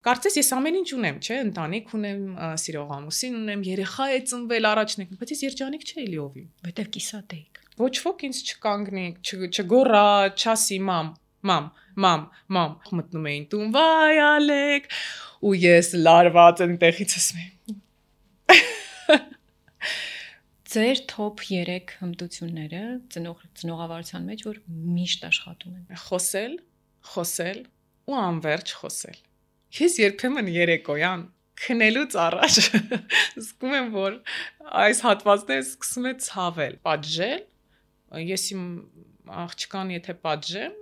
Կարծես ես ամեն ինչ ունեմ, չէ, ընտանիք ունեմ, սիրող ամուսին ունեմ, երեխա է ծնվել առաջն եկել, բայց ես երջանիկ չէի լիովին, որտեվ կիսատ էիք։ Ոչ ոք ինձ չկանգնի, չգոռա, չասի մամ, մտնում էին տուն, վայ Ալեք, ու ես լարված այնտեղից ասում եմ։ Ձեր top 3 հմտությունները ծնողավարության մեջ, որ միշտ աշխատում են։ Խոսել ու անverջ խոսել։ Ես երբեմն երեկոյան քնելուց առաջ զգում եմ, որ այս հատվածները սկսում է ցավել, պատժել, ես իմ աղջկան եթե պատժեմ,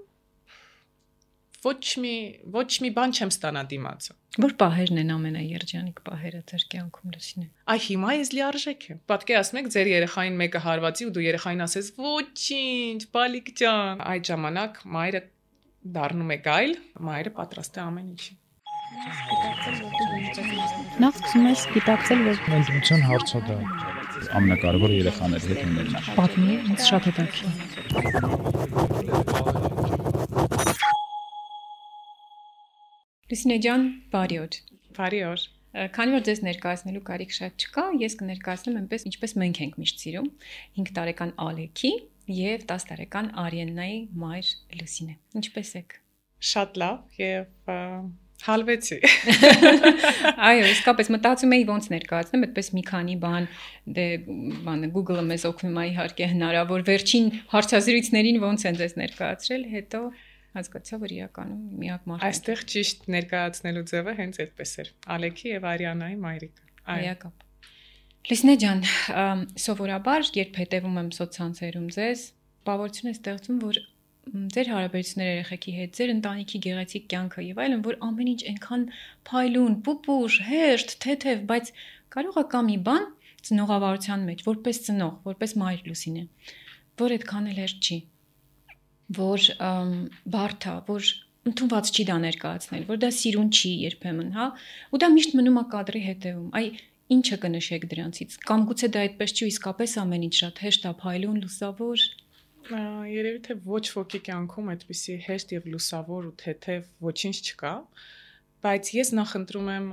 ոչ մի բան չեմ ստանա դիմացը։ Որ պահերն են ամենաերջանիկ պահերը ձեր կյանքում Լուսինե։ Այ հիմա ես լիարժեք եմ։ Պատկերացնում եք ձեր երեխային մեկը հարվածի ու դու երեխային ասես ոչինչ, բալիկ ջան։ Այդ ժամանակ մայրը դառնում է գայլ, մայրը պատրաստ է ամեն ինչի։ Նախ սկսում ես գիտակցել, որ ընտրության հարցը դա ամենակարևորը երեխաների հետ ունենալն է։ Պատմի, ինձ շատ հետաքրքիր։ Լուսինե ջան, բարի օր։ Բարի օր։ Քանի որ ձեզ ներկայացնելու կարիք շատ չկա, ես կներկայացնեմ այնպես, ինչպես մենք ենք միշտ սիրում, 5 տարեկան Ալեքի եւ 10 տարեկան Արիեննայի մայր Լուսինե։ Ինչպես եք։ Շատ լավ եւ հալվեցի։ Այո, իսկապես մտածում էի ոնց ներկայացնեմ, այդպես մի քանի բան, Google-ը մեզ օգնում է իհարկե հնարավոր վերջին հարցազրույցներին ոնց են ձեզ ներկայացրել, հետո հասկացա, որ իրականում միակ մարդը։ Այստեղ ճիշտ ներկայացնելու ձևը հենց այդպես էր։ Ալեքի եւ Արիանայի մայրիկը։ Այակապ։ Լուսինե ջան, սովորաբար երբ հետևում եմ սոցցանցերում ձեզ, բավարարություն է ստեղծում, որ ձեր հարաբերությունները երեխեքի հետ, ձեր ընտանիքի գեղեցիկ կյանքը եւ այլն, որ ամեն ինչ այնքան փայլուն, պուպուր, հեշտ, թեթև, բայց կարող է կա մի բան ծնողավարության մեջ, որպես ծնող, որպես մայր Լուսինե, որ այդքան էլ հեշտ չի, որ բարդ է, որ ընդունված չի դա ներկայացնել, որ դա սիրուն չի երբեմն, հա, ու դա միշտ մնում է կադրի հետևում։ Այ ինչը կնշեք դրանցից։ Կամ գուցե դա այդպես չի, իսկապես ամեն ինչ շատ հեշտ է, փայլուն, լուսավոր։ Երևի թե ոչ ոքի կյանքում այդպիսի հեշտ եւ լուսավոր ու թեթև ոչինչ չկա, բայց ես նախընտրում եմ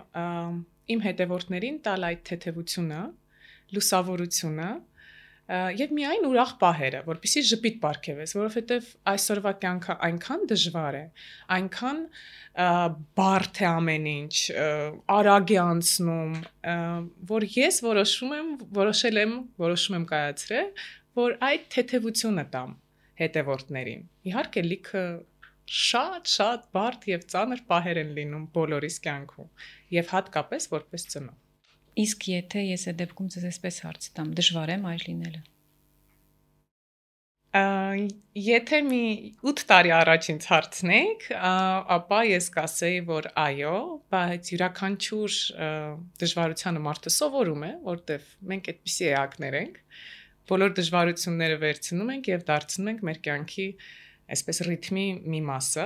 իմ հետևորդներին տալ այդ թեթևությունը, լուսավորությունը եւ միայն ուրախ պահերը, որպեսզի ժպիտ պարգևես, որովհետեւ այսօրվա կյանքը այնքան դժվար է, այնքան բարդ է ամեն ինչ, արագ է անցնում, որ ես որոշում եմ կայացրել, որ այդ թեթևությունը տամ հետևորդներին։ Իհարկե լիքը շատ բարդ եւ ծանր պահեր են լինում բոլորիս կյանքում եւ հատկապես որպես ծնող։ Իսկ եթե ես այդ դեպքում ձեզ այսպես հարց տամ, դժվար է մայր լինելը։ Եթե մի 8 տարի առաջ ինձ հարցնեիք, ապա ես կասեի, որ այո, բայց յուրաքանչյուր դժվարությանը մարդը սովորում է, որտեվ մենք այդպիսի էակներ ենք, բոլոր դժվարությունները վերցնում ենք եւ դարձնում ենք մեր կյանքի այսպես ռիթմի մի մասը։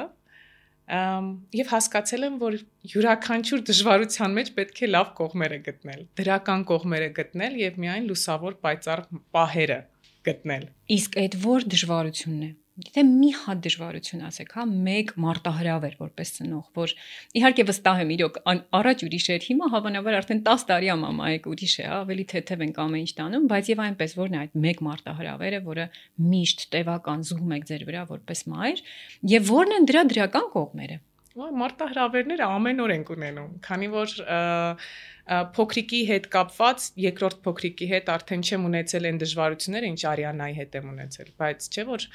Եվ հասկացել եմ, որ յուրաքանչյուր դժվարության մեջ պետք է լավ կողմերը գտնել, դրական կողմերը գտնել եւ միայն լուսավոր պայծառ պահերը գտնել։ Իսկ այդ որ դժվարությունն է։ Եթե մի հատ դժվարություն ասեք, հա, մեկ մարտահրավեր որպես ծնող, որ իհարկե վստահ եմ իրոք առաջ ուրիշ էր, հիմա հավանաբար արդեն 10 տարի մամա եք ուրիշ է, ավելի թեթև ենք ամեն ինչ տանում, բայց եւ այնպես որն է այդ մեկ մարտահրավերը, որը միշտ տևական զուգում եք ձեր վրա որպես մայր, եւ որն են դրա դրական կողմերը։ Մարտահրավերները ամեն օր ենք ունենում, քանի որ փոքրիկի հետ կապված երկրորդ փոքրիկի հետ արդեն չեմ ունեցել այն դժվարությունները, ինչ Արիանայի հետ եմ ունեցել, բայց չէ որ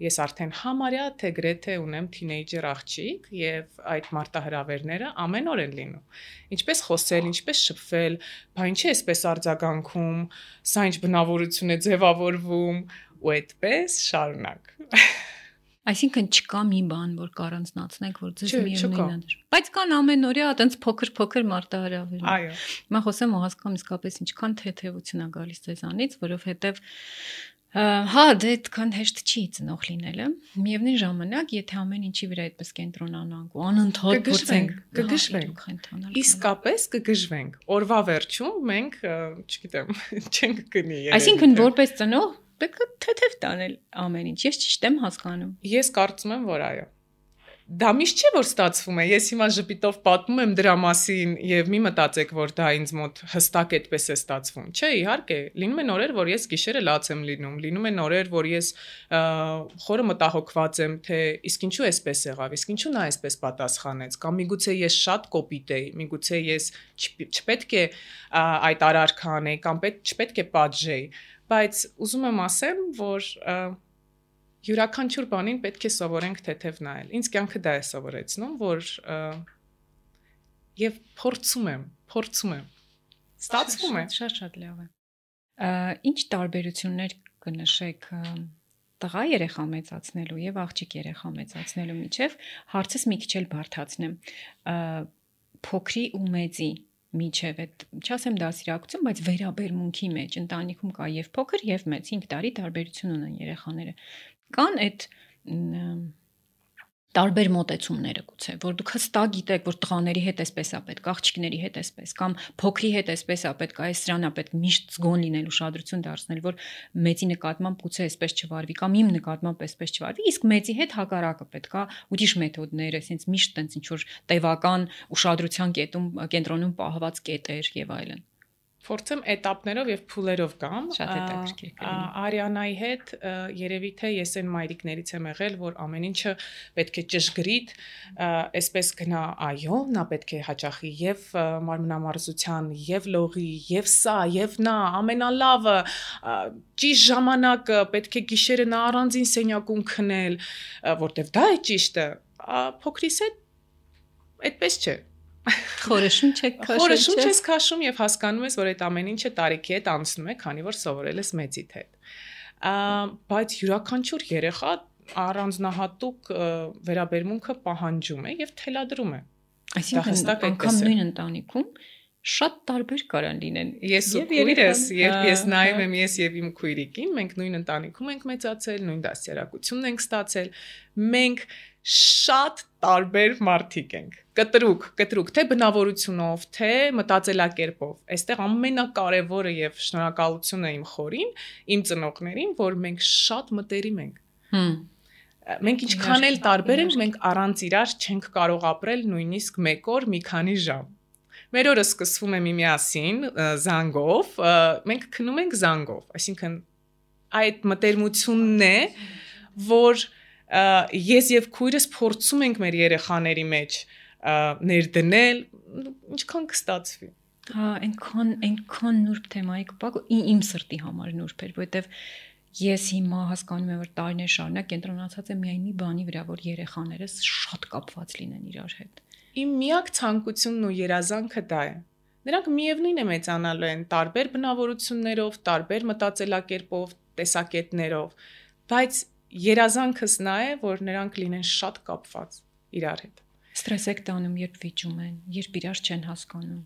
ես արդեն համարյա թե գրեթե ունեմ թինեյջեր աղջիկ եւ այդ մարտահրավերները ամեն օր են լինում։ Ինչպես խոսել, ինչպես շփվել, բա ինչի էսպես արձագանքում, սա ինչ բնավորություն է ձևավորվում ու այդպես շարունակ։ Այսինքն չկա մի բան, որ կառանձնացնենք, որ ձեզ միևնույնն է։ Բայց կան ամենօրյա այտենց փոքր մարտահրավերներ։ Այո։ Հիմա խոսեմ ու հասկանում իսկապես ինչքան թեթևություն է գալիս ձեզանից, որովհետև հա, դե այդքան հեշտ չի ծնող լինելը։ Միևնույն ժամանակ, եթե ամեն ինչի վրա այդպես կենտրոնանանք ու անընդհատ փորձենք կգժվենք, իսկապես կգժվենք։ Օրվա վերջում մենք, չգիտեմ, չենք գնի։ Այսինքն որպես ծնող պետք է թեթև տանել ամեն ինչ։ Ես ճիշտ եմ հասկանում։ Ես կարծում եմ, որ այո։ Դա միշտ չէ որ ստացվում է։ Ես հիմա ժպիտով պատմում եմ դրա մասին եւ մի մտածեք որ դա ինձ մոտ հստակ այդպես է ստացվում։ Չէ, իհարկե, լինում են օրեր, որ ես գիշերը լաց եմ լինում, լինում են օրեր, որ ես խորը մտահոգված եմ, թե իսկ ինչու էսպես եղավ, իսկ ինչու նա էսպես պատասխանեց, կամ միգուցե ես շատ կոպիտ էի, միգուցե ես չպետք է այդ արարքը անեի, կամ չպետք է պատժեի, բայց ուզում եմ ասեմ, որ յուրաքանչյուր բանին պետք է սովորենք թեթև նայել։ Ինձ կյանքը դա է սովորեցնում, որ եւ փորձում եմ։ Ստացվում է։ Շատ լավ է։ Ինչ տարբերություններ կնշեք տղա երեխա մեծացնելու եւ աղջիկ երեխա մեծացնելու միջև, հարցս մի քիչ էլ բարդացնեմ։ Փոքրի ու մեծի միջև է, չասեմ դասիրակություն, բայց վերաբերմունքի մեջ ընտանիքում կա եւ փոքր եւ մեծ 5 տարի տարբերություն ունեն երեխաները։ Կան այդ տարբեր մոտեցումները գուցե, որ դուք հստակ գիտեք, որ տղաների հետ էսպես է պետք, աղջիկների հետ էսպես, կամ փոքրի հետ էսպես է պետք, այս սրանն է պետք միշտ զգոն լինել, ուշադրություն դարձնել, որ մեծի նկատմամբ գուցե էսպես չվարվի, կամ իմ նկատմամբ էսպես չվարվի, իսկ մեծի հետ հակառակը պետք է ուրիշ մեթոդներ, այսինքն միշտ տենց ինչ որ տևական ուշադրության կենտրոնում պահված կետեր եւ այլն։ Փորձեմ этаպներով եւ փուլերով գամ։ Շատ հետաքրքիր կլինի։ Արիանայի հետ երևի թե ես այն մայրիկներից եմ եղել, որ ամեն ինչը պետք է ճշգրիտ, այսպես գնա, այո, նա պետք է հաճախի եւ մարմնամարզության, եւ լողի, եւ սա, եւ նա, ամենալավը, ճիշտ ժամանակը, պետք է գիշերը նա առանձին սենյակում քնել, որտեվ դա է ճիշտը։ Փոքրիս հետ այդպես չէ։ Խորշում ես քաշում եւ հասկանում ես, որ այդ ամեն ինչը տարիքի հետ անցնում է, քանի որ սովորել ես մեծիդ հետ։ Բայց յուրաքանչյուր երեխա առանձնահատուկ վերաբերմունքը պահանջում է եւ թելադրում է։ Այսինքն անգամ նույն ընտանիքում շատ տարբեր կարան լինեն։ Ես ու քույրս, երբ ես նայում եմ ես եւ իմ քույրիկին, մենք նույն ընտանիքում ենք մեծացել, նույն դասերակցությունն ենք ստացել, մենք շատ տարբեր մարդիկ ենք։ Կտրուկ, թե բնավորությունով, թե մտածելակերպով։ Այստեղ ամենակարևորը եւ շնորհակալությունը իմ խորին, իմ ծնողներին, որ մենք շատ մտերիմ ենք։ Մենք ինչքան էլ տարբեր ենք, մենք առանց իրար չենք կարող ապրել նույնիսկ մեկ օր մի քանի ժամ։ Մեր օրը սկսվում է միմիասին զանգով, մենք քնում ենք զանգով, այսինքն այդ մտերմությունն է, որ ես եւ քույրս փորձում ենք մեր երեխաների մեջ ներդնել, ինչքան կստացվի։ Այնքան նուրբ թեմայի կպակ, իմ սրտի համար նուրբ էր, որովհետեւ ես հիմա հասկանում եմ, որ տարիներ շարունակ կենտրոնացած եմ միայն մի բանի վրա, որ երեխաներս շատ կապված լինեն իրար հետ։ Իմ միակ ցանկությունն ու երազանքը դա է։ Նրանք միևնույն է մեծանալու են տարբեր բնավորություններով, տարբեր մտածելակերպով, տեսակետներով, բայց երազանքս նա է, որ նրանք լինեն շատ կապված իրար հետ։ Ստրես եք տանում, երբ վիճում են, երբ իրար չեն հասկանում։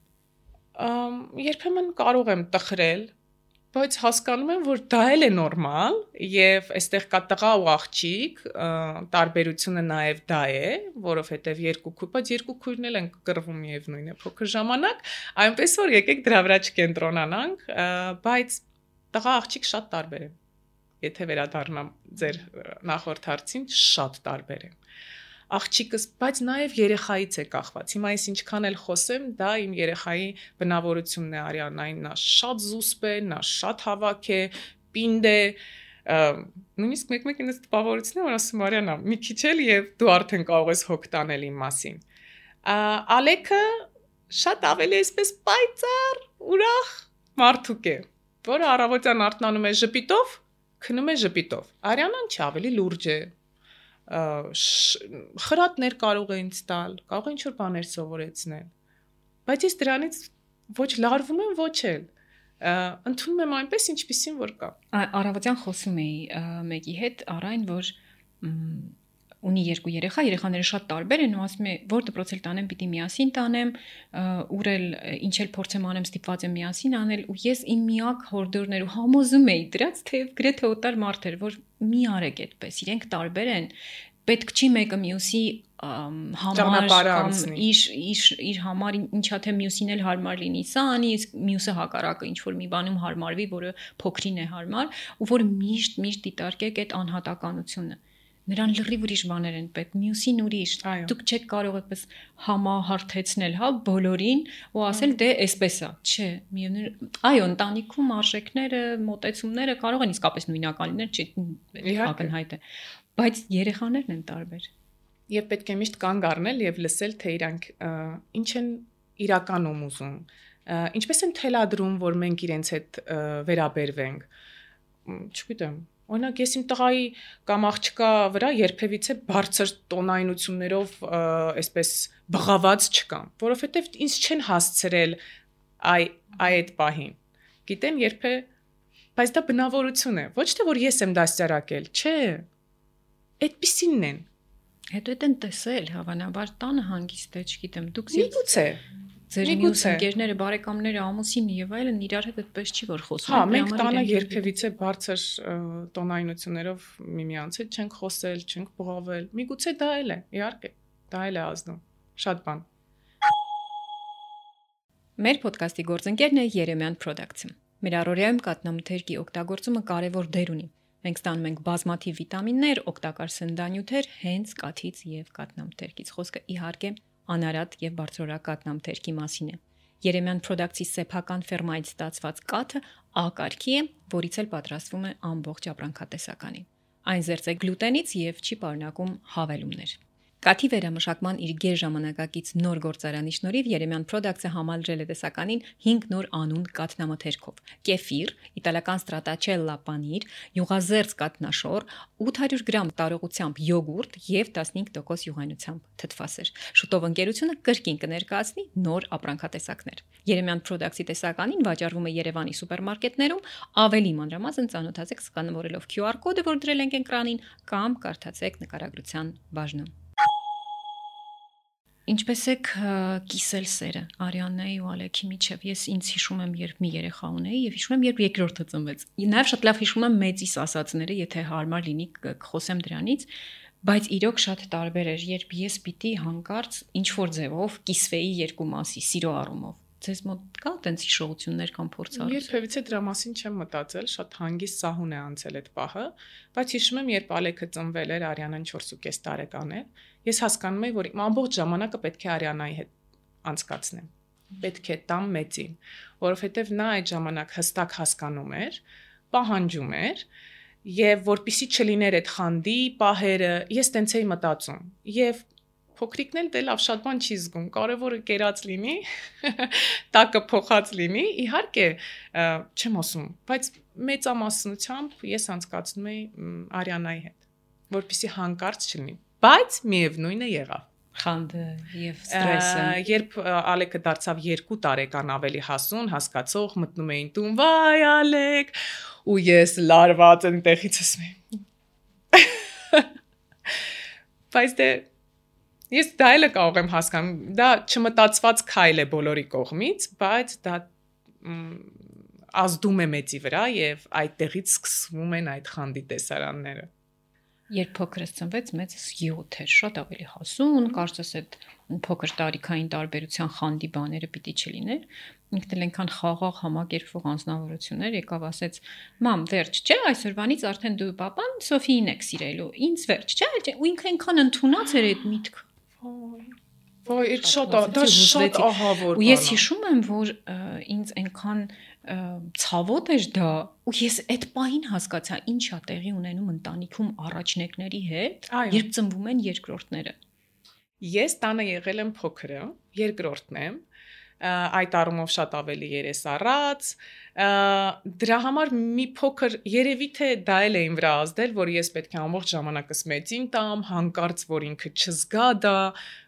Երբեմն կարող եմ տխրել, բայց հասկանում եմ, որ դա էլ է նորմալ եւ այստեղ կա տղա ու աղջիկ, տարբերությունը նաեւ դա է, որովհետեւ երկու քույրն էլ են կռվում եւ նույնն է փոքր ժամանակ, այնպես որ եկեք դրա վրա չկենտրոնանանք, բայց տղա աղջիկ շատ տարբեր են։ Եթե վերադառնամ ձեր նախորդ հարցին, շատ տարբեր են։ Աղջիկս, բայց նաև երեխայից է կախված։ Հիմա ես ինչքան էլ խոսեմ, դա իմ երեխայի բնավորությունն է Արիանային, նա շատ զուսպ է, նա շատ հավաք է, պինդ է, նույնիսկ մեկ-մեկ ինձ տպավորությունն է, որ ասում Արիանա, մի քիչ էլ եւ դու արդեն կարող ես հոգ տանել իմ մասին։ Ալեքը շատ ավելի այսպես պայծառ, ուրախ մարդուկ է, որը առավոտյան արթնանում է ժպիտով, քնում է ժպիտով։ Արիանան չի ավելի լուրջ է։ Խրատներ կարող է ինձ տալ, կարող է ինչ-որ բաներ սովորեցնել, բայց ես դրանից ոչ լարվում եմ, ոչ էլ, ընդունում եմ այնպես, ինչպիսին որ կա։ Առավոտյան խոսում էի մեկի հետ, առայն, որ ունի 2 երեխա, երեխաները շատ տարբեր են ու ասում է, որ դպրոց էլ տանեմ, պիտի միասին տանեմ, ուր էլ ինչ էլ փորձեմ անեմ, ստիպված եմ միասին անել ու ես իմ միակ հորդորներ ու համոզում էի դրած, թե գրեթե օտար մարդ էր, որ մի արեք այդպես, իրենք տարբեր են, պետք չի մեկը մյուսի համար կամ իր համար ինչա թե մյուսին էլ հարմար լինի, սա անի, իսկ մյուսը հակառակը ինչ որ մի բանում հարմարվի, որը փոքրին է հարմար ու որ միշտ դիտարկեք այդ անհատականությունը։ Նրան լրիվ ուրիշ բաներ են պետք, մյուսին ուրիշ։ Դուք չեք կարող այդպես համահարթեցնել, հա, բոլորին ու ասել դե էսպես է, չէ, այո, ընտանիքում արժեքները, մոտեցումները կարող են իսկապես նույնական լինել, չէ, ակնհայտ է, բայց երեխաներն են տարբեր։ Եվ պետք է միշտ կանգ առնել եւ լսել, թե իրանք ինչ են իրականում ուզում, ինչպես են թելադրում, որ մենք իրենց հետ վերաբերվենք, չգիտեմ։ Օրինակ ես իմ տղայի կամ աղջկա վրա երբևիցե բարձր տոնայնություններով այսպես բղաված չկամ, որովհետև ինձ չեն հասցրել այդ պահին։ Գիտեն երբե, բայց դա բնավորություն է, ոչ թե որ ես եմ դաստիարակել, չէ։ Այդպիսինն են։ Հետո այդ են տեսել, հավանաբար տանը հանգիստ է, չգիտեմ, դուք միգուցե ձեր մյուս ընկերները, բարեկամները, ամուսինը եւ այլն իրար հետ այդպես չի որ խոսում։ Հա, մենք տանը երբևիցե բարձր տոնայնություններով միմյանց հետ չենք խոսել, չենք բղավել։ Միգուցե դա էլ է, իհարկե, դա էլ է ազդում։ Շատ բան։ Մեր ոդկասթի գործընկերն է Երեմյան Production։ Մեր առօրյայում կաթնամթերքի օգտագործումը կարևոր դեր ունի։ Մենք ստանում ենք բազմաթիվ վիտամիններ, օգտակար սննդանյութեր հենց կաթից եւ կաթնամթերքից։ Խոսքը իհարկե անարատ եւ բարձրորակ կաթնամթերքի մասին է։ Երեմյան Production-ի սեփական ֆերմայից ստացված կաթը A կարգի է, որից էլ պատրաստվում է ամբողջ ապրանքատեսականի։ Այն զերծ է գլուտենից եւ չի պարունակում հավելումներ։ Կաթի վերամշակման իր գերժամանակակից նոր գործարանի շնորհիվ Երեմյան Production-ը համալրել է տեսականին 5 նոր անուն կաթնամթերքով՝ կեֆիր, իտալական ստրատաչելլա պանիր, յուղազերծ կաթնաշոր, 800 գրամ տարողությամբ յոգուրտ եւ 15% յուղայնությամբ թթվասեր։ Շուտով ընկերությունը կրկին կներկայացնի նոր ապրանքատեսակներ։ Երեմյան Production-ի տեսականին վաճառվում է Երևանի սուպերմարկետներում, ավելի մանրամասն ծանոթացեք սկանավորելով QR կոդը, որ դրել ենք էկրանին, կամ կարդացեք նկարագրության բաժնում։ Ինչպես եք կիսել սերը Արիաննայի ու Ալեքի միջև։ Ես ինձ հիշում եմ, երբ մի երեխա ունեի եւ հիշում եմ, երբ երկրորդը ծնվեց։ Նաեւ շատ լավ հիշում եմ մեծիս ասածները, եթե հարմար լինի կխոսեմ դրանից, բայց իրոք շատ տարբեր էր, երբ ես պիտի հանկարծ ինչ որ ձևով կիսվեի երկու մասի սիրո առումով։ Ձեզ մոտ կա տենց հիշողություններ կամ փորձառություն։ Երբևիցե դրա մասին չեմ մտածել, շատ հանգիստ սահուն է անցել այդ պահը, բայց հիշում եմ, երբ Ալեքը ծնվել էր, Արիանան 4.5 տարեկան էր, ես հասկանում էի, որ իմ ամբողջ ժամանակը պետք է Արիանայի հետ անցկացնեմ։ Պետք է տամ մեծին, որովհետև նա այդ ժամանակ հստակ հասկանում էր, պահանջում էր, եւ որpիսի չլիներ այդ խանդի պահերը, ես տենց էի մտածում։ Եվ փոքրիկն էլ դե լավ շատ բան չի զգում, կարևորը կերած լինի, տակը փոխած լինի, իհարկե, չեմ ասում, բայց մեծամասնությամբ ես անցկացնում էի Արիանայի հետ, որպեսզի հանկարծ չլինի, բայց միևնույնը եղավ։ Խանդը եւ ստրեսը։ Երբ Ալեկը դարձավ 2 տարեկան ավելի հասուն, հասկացող, մտնում էին տուն, վայ Ալեք, ու ես լարված այնտեղից ասում եմ։ Բայց դե ես դա էլ կարող եմ հասկանում, դա չմտածված քայլ է բոլորի կողմից, բայց դա ազդում է մեծի վրա եւ այդտեղից սկսվում են այդ խանդի տեսարանները։ Երբ փոքրս ծնվեց, մեծս 7 էր, շատ ավելի հասուն, կարծես այդ փոքր տարիքային տարբերության խանդի բաները պիտի չլիներ։ Ինքն էլ այնքան խաղաղ համակերպվող անձնավորություններ եկավ ասեց. «Մամ, վերջ, չէ, այսօրվանից արդեն դու papan Սոֆիին եք սիրելու, ինձ վերջ, չէ»։ Ու ինքը այնքան ընդունած էր այդ միտքը։ Ոյ, այդ շատ ահավոր։ Ու ես հիշում եմ, որ ինձ այնքան ցավոտ էր դա, ու ես այդ պահին հասկացա, ինչա տեղի ունենում ընտանիքում առաջնեկների հետ, երբ ծնվում են երկրորդները։ Ես տանը եղել եմ փոքրը, երկրորդն եմ, այդ առումով շատ ավելի երեսառած, դրա համար մի փոքր երևի թե դա էլ էին վրա ազդել, որ ես պետք է ամբողջ ժամանակս մեծին տամ, հանկարծ որ ինքը չզգա դա,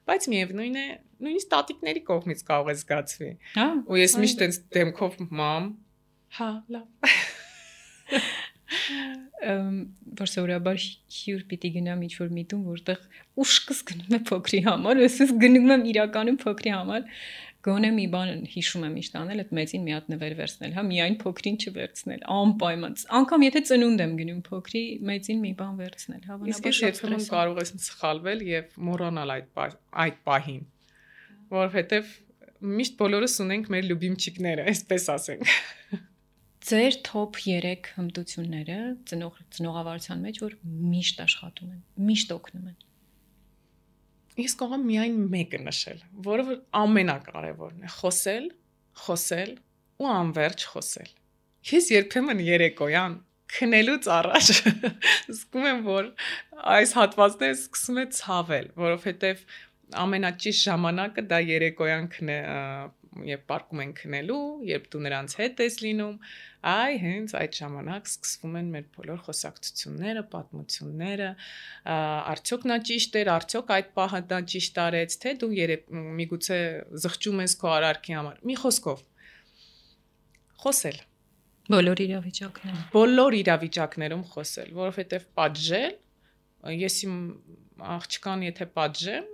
բայց միևնույն է, նույնիսկ տատիկների կողմից կարող է զգացվի։ Հա։ Ու ես միշտ այս դեմքով մամ, հա, լավ։ Որ սովորաբար հյուր պիտի գնամ ինչ-որ միտում, որտեղ ուշքս գնում է փոքրի համար, ես գնում եմ իրականում փոքրի համար, գոնե մի բան հիշում եմ միշտ անել, այդ մեծին մի հատ նվեր վերցնել, հա, միայն փոքրին չվերցնել, անպայման, անգամ եթե ծնունդ եմ գնում փոքրի, մեծին մի բան վերցնել, հավանաբար շատ երբեմն կարող ես սխալվել եւ մոռանալ այդ պահին, որովհետեւ միշտ բոլորս ունենք մեր լյուբիմչիկները, այսպես ասենք։ Ձեր top 3 հմտությունները ծնողավարության մեջ, որ միշտ աշխատում են, միշտ օգնում են։ Ես կարող եմ միայն մեկը նշել, որը ամենակարևորն է՝ խոսել ու անverջ խոսել։ Ես երբեմն երեկոյան քնելուց առաջ զգում եմ, որ այս հատվածները սկսում է ցավել, որովհետև ամենաճիշտ ժամանակը դա երեկոյան երբ պարկում են քնելու, երբ դու նրանց հետ ես լինում, հենց այդ ժամանակ սկսվում են մեր բոլոր խոսակցությունները, պատմությունները, արդյոք նա ճիշտ էր, արդյոք այդ պահը դա ճիշտ արեց, թե դու միգուցե զղջում ես քո արարքի համար։ Մի խոսքով խոսել։ Բոլոր իրավիճակներում խոսել, որովհետև պատժել, ես իմ աղջկան եթե պատժեմ,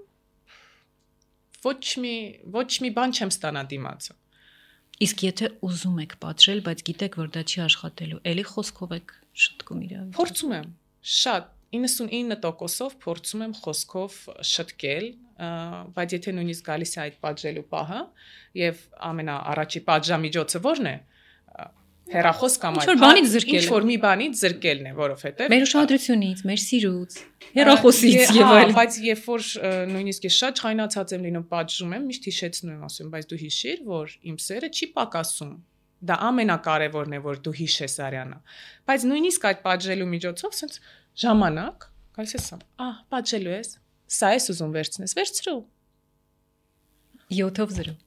ոչ մի բան չեմ ստանա դիմացը։ Իսկ եթե ուզում եք պատժել, բայց գիտեք, որ դա չի աշխատելու, էլի խոսքով եք շտկում իրավիճակը։ Փորձում եմ, շատ 99%-ով փորձում եմ խոսքով շտկել, բայց եթե նույնիսկ գալիս է այդ պատժելու պահը, եւ ամենաառաջի պատժամիջոցը ո՞րն է։ Հեռախոս կամ ինչ որ մի բանից զրկելն է, որովհետև մեր ուշադրությունից, մեր սիրուց, հեռախոսից եւ այլն։ Բայց երբ որ նույնիսկ ես շատ չայնացած եմ լինում, պատժում եմ, միշտ հիշեցնում եմ, ասում, բայց դու հիշիր, որ իմ սերը չի պակասում։ Դա ամենակարևորն է, որ դու հիշես արյանը։ Բայց նույնիսկ այդ պատժելու միջոցով sense ժամանակ, գալիս ես, պատժելու ես, սա ես ուզում վերցնես, վերցրու։ 7-0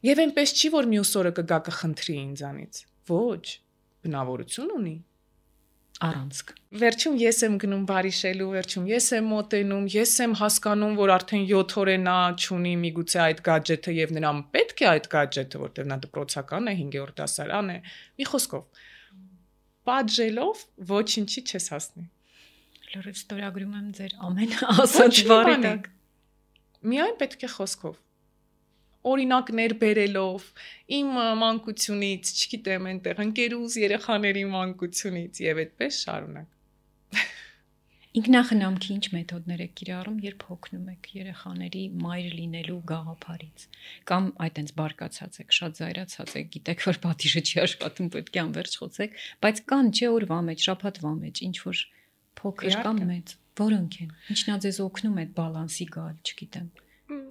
Եվ այնպես չի, որ մյուս օրը կգա կխնդրի ինձանից։ Ոչ, բնավորություն ունի։ Առանցք։ Վերջում ես եմ գնում բարիշելու, վերջում ես եմ մոտենում, ես եմ հասկանում, որ արդեն 7 օր է նա չունի միգուցե այդ գadget-ը եւ նրան պետք է այդ գadget-ը, որտեղ նա դպրոցական է, 5-րդ դասարան է։ Մի խոսքով, պատժելով ոչինչի չես հասնի։ Լուրջ ստորագրում եմ ձեր ամեն ասած բառի տակ։ Միայն պետք է խոսքով։ Օրինակներ բերելով իմ մանկությունից, չգիտեմ, այնտեղ ընկերուս երեխաների մանկությունից եւ այդպես շարունակ։ Ինքնախնամքի ինչ մեթոդներ եք կիրառում, երբ հոգնում եք երեխաների մայր լինելու գաղափարից, կամ այտենց բարկացած եք, շատ զայրացած եք, գիտեք, որ պատիժը չի աշխատում, պետք է անverջ խոսեք, բայց կան չէ օրվա մեջ, շաբաթվա մեջ, ինչ որ փոքր կամ մեծ, որոնք են։ Ինչն է ձեզ օգնում այդ բալանսի գալ, չգիտեմ։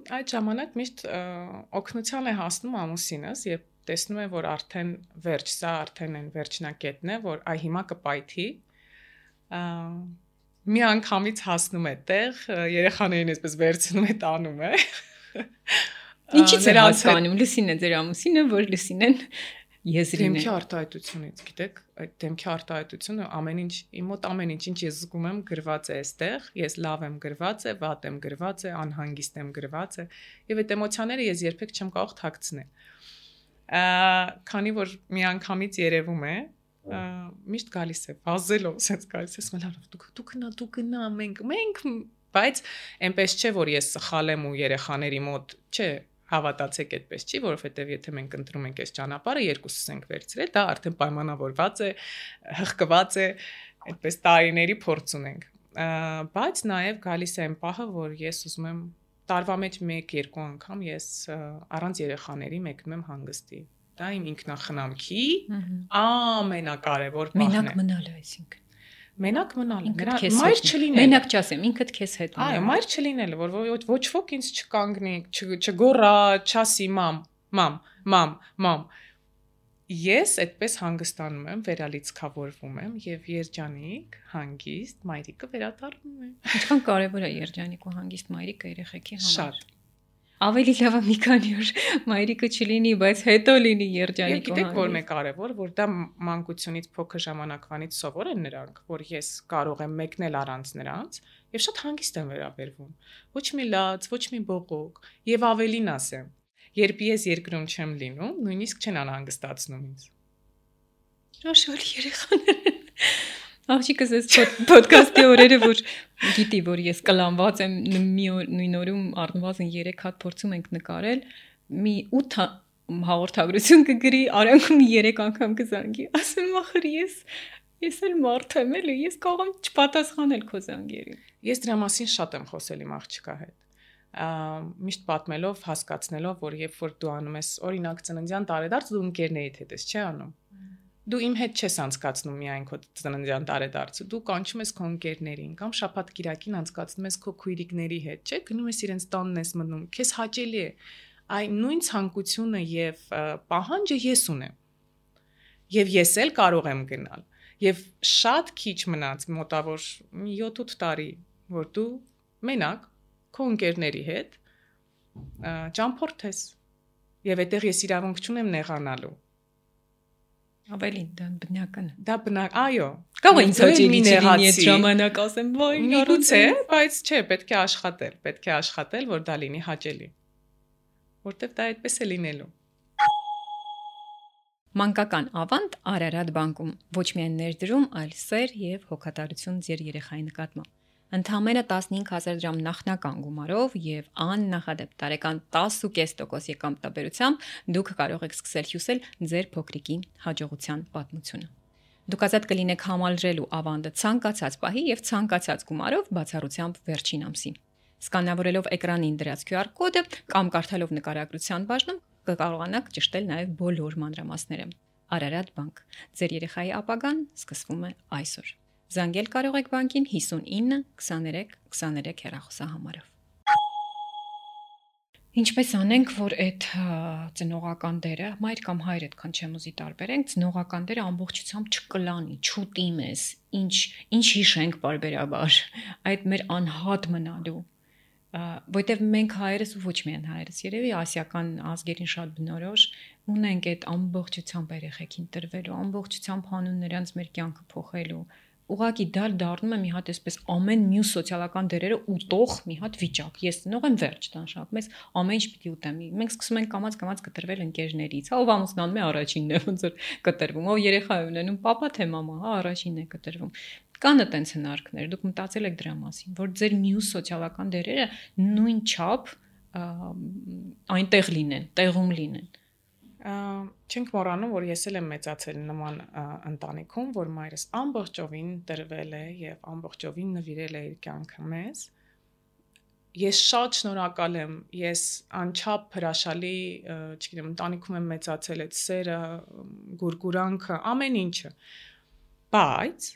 Այդ ժամանակ միշտ օգնության է հասնում ամուսինս, երբ տեսնում է, որ արդեն վերջ, սա արդեն այն վերջնակետն է, որ հիմա կպայթի, մի անգամից հասնում է տեղ, երեխաներին այսպես վերցնում է, տանում է։ Ինչի՞ց է հասկանում, Լուսին է ձեր ամուսինը, որ Լուսինեն եզրին է։ Դեմքի արտահայտությունից, գիտեք, այդ դեմքի արտահայտությունը ամեն ինչ, իմ մոտ ամեն ինչ, ինչ ես զգում եմ, գրված է այստեղ, ես լավ եմ գրված է, վատ եմ գրված է, անհանգիստ եմ գրված է, եւ այդ էմոցիաները ես երբեք չեմ կարող թաքցնել։ Քանի որ միանգամից երևում է, միշտ գալիս է, վազելով, ասես գալիս է, ասում դու գնա, մենք, բայց այնպես չէ, որ ես սխալ եմ ու երեխաների մոտ, չէ, հավատացեք այդպես չի, որովհետև եթե մենք ընտրում ենք այս ճանապարհը, երկուսս ենք վերցրել, դա արդեն պայմանավորված է, հղկված է, այդպես տարիների փորձ ունենք։ Բայց նաև գալիս է այն պահը, որ ես ուզում եմ տարվա մեջ 1-2 անգամ ես առանց երեխաների մեկնում եմ հանգստի։ Դա իմ ինքնախնամքի ամենակարևոր բանն է։ Մենակ մնալը, այսինքն։ Մենակ մնալը, մայր չլինելը։ Մենակ չասեմ, ինքդ քեզ հետ մնալ։ Այո, մայր չլինելը, որ ոչ ոք ինձ չկանգնի, չգոռա, չասի մամ։ Ես այդպես հանգստանում եմ, վերալիցքավորվում եմ եւ երջանիկ, հանգիստ մայրիկը վերադառնում է։ Ինչքան կարեւոր է երջանիկ ու հանգիստ մայրիկը երեխեքի համար։ Շատ։ Ավելի լավ է մի քանի օր մայրիկը չլինի, բայց հետո լինի երջանիկ ու հանգիստ։ Եվ գիտեք որ մեկ կարևոր, որ դա մանկությունից փոքր ժամանակվանից սովոր են նրանք, որ ես կարող եմ մեկնել առանց նրանց եւ շատ հանգիստ եմ վերաբերվում։ Ոչ մի լաց, ոչ մի բողոք եւ ավելին ասեմ, երբ ես երկրում չեմ լինում, նույնիսկ չեն անհանգստացնում ինձ։ Հրաշալի երեխաներ։ Աղջիկս այս ոդքասթի օրերը, որ գիտի, որ ես կլանված եմ նույն օրում առնվազն 3 հատ փորձում ենք նկարել, մի 8 հաղորդագրություն կգրի, արանքում 3 անգամ կզանգի, ասեմ ախր ես էլ մարդ եմ էլի, ես կարող եմ չպատասխանել քո զանգերին։ Ես դրա մասին շատ եմ խոսել իմ աղջկա հետ։ Միշտ պատմելով, հասկացնելով, որ երբ որ դու անում ես օրինակ ծննդյան տարեդարձ, դու ընկերներիդ հետ ես, չէ՞ անում։ Դու իմ հետ չես անցկացնում միայն քո ծննդյան տարեդարձը, դու կանչում ես քո ընկերներին կամ շաբաթ կիրակին անցկացնում ես քո քույրիկների հետ, չէ՞, գնում ես իրենց տանն ես մտնում, քեզ հաճելի է։ Այն նույն ցանկությունը եւ պահանջը ես ունեմ։ Եվ ես էլ կարող եմ գնալ։ Եվ շատ քիչ մնաց մոտավոր 7-8 տարի, որ դու մենակ քո ընկերների հետ ճամփորդես։ Եվ այդտեղ ես իրավունք չունեմ նեղանալու։ Ավելին դա բնական է։ Դա այո։ Կամ ինձ հաճելի չի լինի այդ ժամանակ ասեմ, ոյ, միգուցե, բայց չէ, պետք է աշխատել, որ դա լինի հաճելի։ Որտեվ դա այդպես է լինելու։ Մանկական ավանդ Արարատ բանկում ոչ միայն ներդրում, այլ սեր եւ հոգատարություն ձեր երեխայի նկատմամբ։ Ընդամենը 15000 դրամ նախնական գումարով եւ աննախադեպ տարեկան 10.5% եկամտաբերությամբ դուք կարող եք սկսել հյուսել ձեր փոքրիկի հաջողության պատմությունը։ Դուք ազատ կլինեք համալրելու ավանդը ցանկացած պահի եւ ցանկացած գումարով բացառությամբ վերջին ամսի։ Սկանավորելով էկրանին դրած QR կոդը կամ կարդալով նկարագրության բաժնում կկարողանաք ճշտել նաեւ բոլոր մանրամասները։ Արարատ բանկ։ Ձեր երեխայի ապագան սկսվում է այսօր։ Զանգել կարող եք բանկին 59 23 23 հեռախոսահամարով։ Ինչպես անենք, որ այդ ծնողական դերը, մայր կամ հայր այդքան չեմ ուզի տարբերենք, ծնողական դերը ամբողջությամբ չկլանի, չուտի մեզ, ինչ հիշենք բարբերաբար, այդ մեր անհատ մնալու, որտեվ մենք հայերս ու ոչ միայն հայերս, երևի ասիական ազգերին շատ բնորոշ ունենք այդ ամբողջությամբ երեխեքին տրվելու, ամբողջությամբ հանուն նրանց մեր կյանքը փոխելու։ Ուղղակի դա դառնում է մի հատ այսպես ամեն մյուս սոցիալական դերերը ուտող մի հատ վիճակ։ Ես ծնող եմ վերջ տանշակ, մեզ ամեն ինչ պիտի ուտեմ։ Մենք սկսում ենք կամած կտրվել ընկերներից։ Հա ով ամուսնանում է առաջինն է ոնց որ կտրվում, ով երեխա է ունենում, պապա թե մամա, հա առաջինն է կտրվում։ Կան այդպես հնարքներ, դուք մտածել եք դրա մասին, որ ձեր մյուս սոցիալական դերերը նույն չափ այնտեղ լինեն, տեղում լինեն։ Չենք մոռանում, որ ես էլ եմ մեծացել նման ընտանիքում, որ մայրս ամբողջովին տրվել է եւ ամբողջովին նվիրել է իր կյանքը մեզ։ Ես շատ շնորհակալ եմ, ես անչափ հրաշալի, չգիտեմ, ընտանիքում եմ մեծացել, այդ սերը, գուրգուրանքը, ամեն ինչը։ Բայց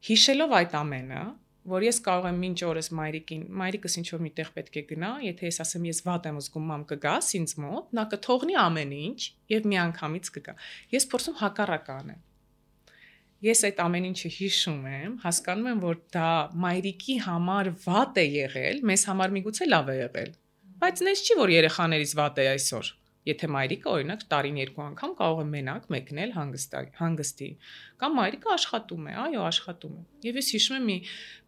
հիշելով այդ ամենը, որ ես կարող եմ մինչ օրս մայրիկս ինչ որ միտեղ պետք է գնա, եթե ես ասեմ ես վատ եմ զգում, մամ կգաս ինձ մոտ, նա կթողնի ամեն ինչ եւ միանգամից կգա։ Ես փորձում հակառակը անեմ։ Ես այդ ամեն ինչը հիշում եմ, հասկանում եմ, որ դա մայրիկի համար վատ է եղել, մեզ համար միգուցե լավ է եղել։ Բայց նես չի, որ երեխաներից վատ է այսօր։ Եթե մայրիկը օրինակ տարին 2 անգամ կարող է մենակ մեկնել հանգստի, կամ մայրիկը աշխատում է, այո, աշխատում է։ Եվ ես հիշում եմ մի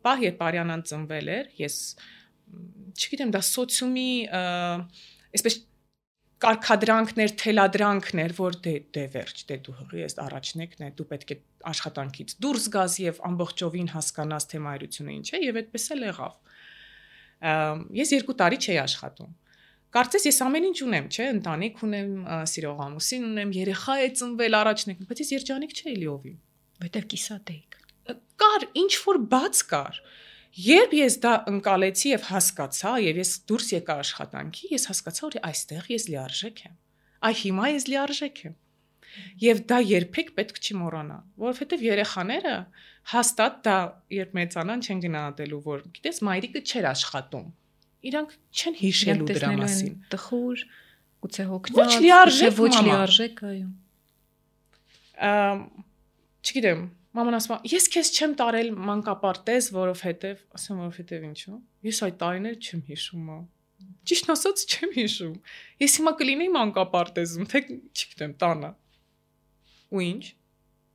պահ, երբ Արյանան ծնվել էր, ես չգիտեմ, դա սոցիումի այսպես կարգադրանքներ, թելադրանքներ, որ դե վերջ, դե դու հղի ես առաջնեկն է, դու պետք է աշխատանքից դուրս գաս եւ ամբողջովին հասկանաս թե մայրությունը ինչ է, եւ այդպես էլ եղավ։ Ես 2 տարի չէի աշխատում։ Կարծես ես ամեն ինչ ունեմ, չէ, ընտանիք ունեմ, սիրող ամուսին ունեմ, երեխա է ծնվել առաջնեկն, բայց ես երջանիկ չէի լիովին, որտեվ կիսատ էիք։ Կար, ինչ որ բաց կար։ Երբ ես դա ընկալեցի եւ հասկացա, եւ ես դուրս եկա աշխատանքի, ես հասկացա, որ այստեղ ես լիարժեք եմ։ Այ հիմա ես լիարժեք եմ։ Եվ դա երբեք պետք չի մոռանալ, որովհետեւ երեխաները հաստատ դա երբ մեծանան չեն գնահատելու, որ գիտես, մայրիկը չէր աշխատում։ Իրանք չեն հիշելու դրա մասին։ Տխուր, գուցե հոգնած, ոչ լիարժեք, ոչ լիարժեք, այո։ Չգիտեմ, մաման ասում է, ես քեզ չեմ տարել մանկապարտեզ, որովհետև ինչու։ Ես այդ տարիներ չեմ հիշում։ Ճիշտ ասած չեմ հիշում։ Ես հիմա կլինեի մանկապարտեզում, թե չգիտեմ, տանը։ Ու ինչ։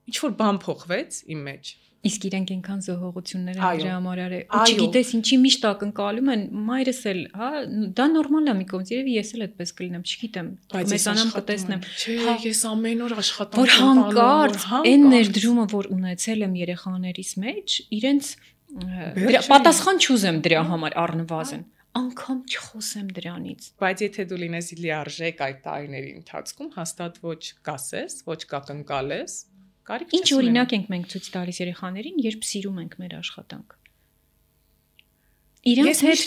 Ինչ որ բան փոխվեց իմ մեջ։ Իսկ իրենք այնքան զոհողություններ են դրա համար արել։ Ու չգիտես ինչի միշտ ակնկալում են, մայրս էլ, հա, դա նորմալ է մի կողմից, երևի ես էլ այդպես կլինեմ, չգիտեմ, մեծանամ կտեսնեմ։ Չէ, ես ամեն օր աշխատանք որ հանկարծ այն ներդրումը, որ ունեցել եմ երեխաներիս մեջ, իրենց պատասխան չուզեմ դրա համար առնվազն, անգամ չխոսեմ դրանից։ Բայց եթե դու լինես լիարժեք այդ տարիների ընթացքում, հաստատ ոչ կասես, ոչ կակնկալես։ Ինչ օրինակ ենք մենք ցույց տալիս երեխաներին, երբ սիրում ենք մեր աշխատանք։ Իրենց հետ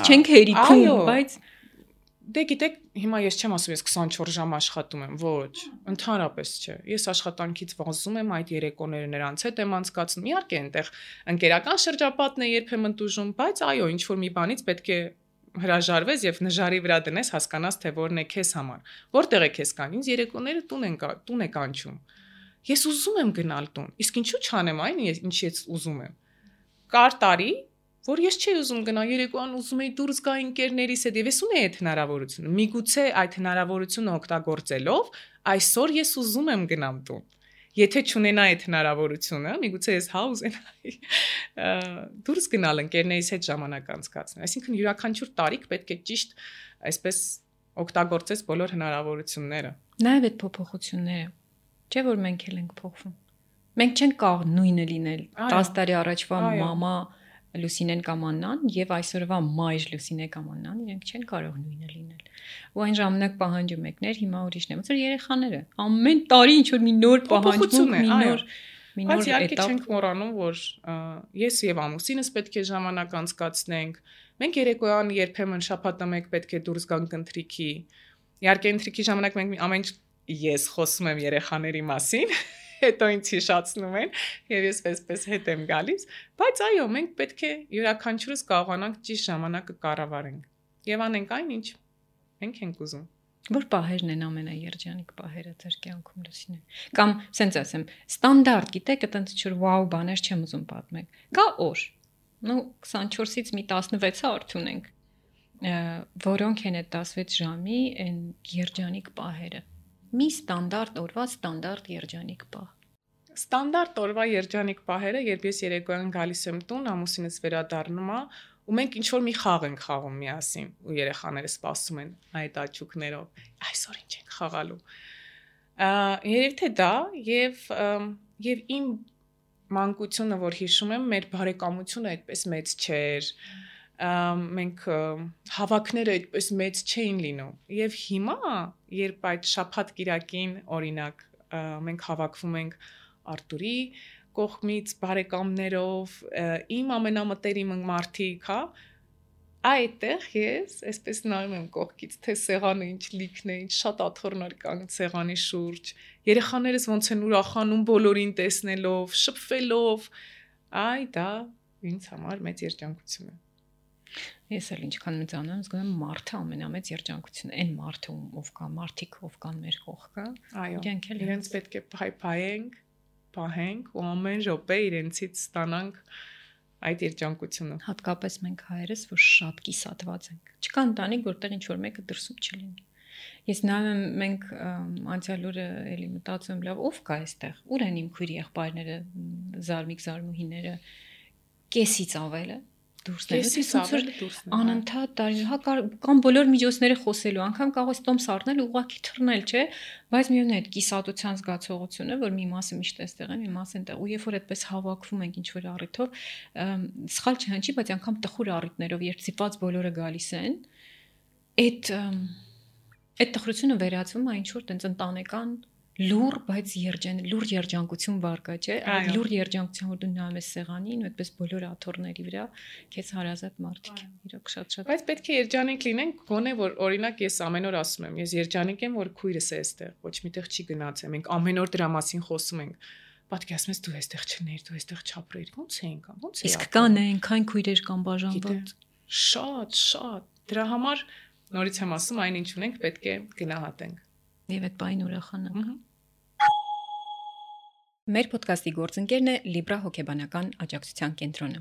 չենք հերիքում, բայց Դե գիտեք, հիմա ես չեմ ասում, ես 24 ժամ աշխատում եմ, ոչ, ընդհանրապես չէ։ Ես աշխատանքից վազում եմ, այդ երեկոները նրանց հետ եմ անցկացնում։ Իհարկե, այնտեղ ընկերական շրջապատն է երբեմն տուժում, բայց այո, ինչ որ մի բանից պետք է հրաժարվես եւ նժարի վրա դնես, հասկանաս թե որն է քեզ համար։ Որտեղ է քեզ կան։ Ինձ երեկոները տուն է կանչում։ Ես ուզում եմ գնալ տուն, իսկ ինչու չանեմ այն, ինչ ես ուզում եմ։ Կար տարի, որ ես չէի ուզում գնալ երեկոյան, ուզում էի դուրս գալ ընկերներիս հետ, եւ ես ունեի այդ հնարավորությունը։ Միգուցե այդ հնարավորությունը օգտագործելով, այսօր ես ուզում եմ գնամ տուն։ Եթե չունենա այդ հնարավորությունը, միգուցե ես ուզենայի դուրս գնալ ընկերներիս հետ ժամանակ անցկացնել։ Այսինքն յուրաքանչյուր տարիք պետք է ճիշտ այսպես օգտագործես բոլոր հնարավորությունները։ Նաև այդ փոփոխությունները, չէ՞ որ մենք էլ ենք փոխվում։ Մենք չենք կարող նույնը լինել 10 տարի առաջվա մամա Լուսինեն կամ Աննան եւ այսօրվա մայր Լուսինե կամ Աննան, իրենք չեն կարող նույնը լինել։ Ու այն ժամանակ պահանջում եկներ, հիմա ուրիշն է։ Ոնց որ երեխաները, ամեն տարի ինչ որ մի նոր պահանջում, մի նոր էտապ։ Չենք մոռանում, որ ես եւ ամուսինս պետք է ժամանակ անցկացնենք։ Մենք երեկոյան երբեմն շաբաթը մեկ պետք է դուրս գանք ընթրիքի։ Իհարկե ընթրիքի ժամանակ մենք ամեն ես խոսում եմ երեխաների մասին, հետո ինձ հիշացնում են եւ ես պես հետ եմ գալիս, բայց այո, մենք պետք է յուրաքանչյուրս կարողանանք ճիշտ ժամանակը կառավարենք եւ անենք այն, ինչ մենք ենք ուզում։ Որ պահերն են ամենաերջանիկ պահերը ձեր կյանքում Լուսինե։ Կամ սենց ասեմ, ստանդարտ, գիտեք, այտենց ինչ-որ վաու բաներ չեմ ուզում պատմել։ Կա օր։ 24-ից մի 16-ը արդյունենք։ Որոնք են այդ 16 ժամի այն երջանիկ պահերը։ Մի ստանդարտ օրվա ստանդարտ երջանիկ պահ։ Ստանդարտ օրվա երջանիկ պահերը, երբ ես երեկոյան գալիս եմ տուն, ամուսինս վերադառնում է, ու մենք ինչ-որ մի խաղ ենք խաղում միասին, ու երեխաները սպասում են այդ աչուկներով։ Այսօր ինչ ենք խաղալու։ Երևի թե դա եւ իմ մանկությունը, որ հիշում եմ, մեր բարեկամությունը այդպես մեծ չէր։ Մենք հավաքները այդպես մեծ չէին լինում եւ հիմա երբ այդ շաբաթ կիրակին օրինակ մենք հավաքվում ենք Արտուրի կողմից բարեկամներով իմ ամենամտերիմ մարդիկ, հա, այդտեղ ես այսպես նայում եմ կողքից թե սեղանը ինչ լիքն է, ինչ շատ աթոռներ կան սեղանի շուրջ, երեխաներս ոնց են ուրախանում բոլորին տեսնելով, շփվելով, դա ինձ համար մեծ երջանկություն է։ Ես էլ ինչքան մեծանում, զգում եմ մարդը ամենամեծ երջանկությունը, այն մարդը ով կա, մարդիկ ով կան մեր կողքը, իրենք էլ իրենց պետք է փայփայենք, պահենք ու ամեն րոպե իրենցից ստանանք այդ երջանկությունը։ Հատկապես մենք հայերս, որ շատ կիսատված ենք։ Չկա ընտանիք, որտեղ ինչ որ մեկը դրսում չլինի։ Ես նայում եմ, մենք անցյալ օրը էլի մտածում լավ, ով կա այստեղ, ուր են իմ քույր եղբայրները, զարմիկ զարմուհիները, կեսից ավելը անընդհատ կամ բոլոր միջոցները խոսելու, անգամ կարող ես տոմս առնել ու ուղղակի թռնել, չէ, բայց միևնույն է այդ կիսատության զգացողությունը, որ մի մասը միշտ էստեղ է, մի մասը այնտեղ, ու երբ որ այդպես հավաքվում ենք ինչ որ առիթով, սխալ չհնչի, բայց անգամ տխուր առիթներով, երբ ծիված բոլորը գալիս են, այդ տխրությունը վերածվում է ինչ որ տենց ընտանեկան լուր, բայց լուր երջանկություն վարկա, չէ, այդ լուր երջանկություն, որ դու նայում ես սեղանին ու այդպես բոլոր աթոռների վրա քեզ հարազատ մարդիկ են, իրոք շատ։ Բայց պետք է երջանիկ լինենք, գոնե որ օրինակ ես ամեն օր ասում եմ, ես երջանիկ եմ, որ քույրս է այստեղ, ոչ միտեղ չի գնացել, մենք ամեն օր դրա մասին խոսում ենք։ Պատկերացնում ես դու այստեղ չներ, դու այստեղ չապրեիր, ոնց է ինքան, ոնց է։ Իսկ կան այնքան քույրեր կամ բաժանված։ Շատ։ Դրա համար նորից եմ ասում, այն ինչ ունենք, պետք է գնահատենք։ Եվ այդ բային ուրախանանք։ Մեր ոդկասթի գործընկերն է Libra հոգեբանական աջակցության կենտրոնը։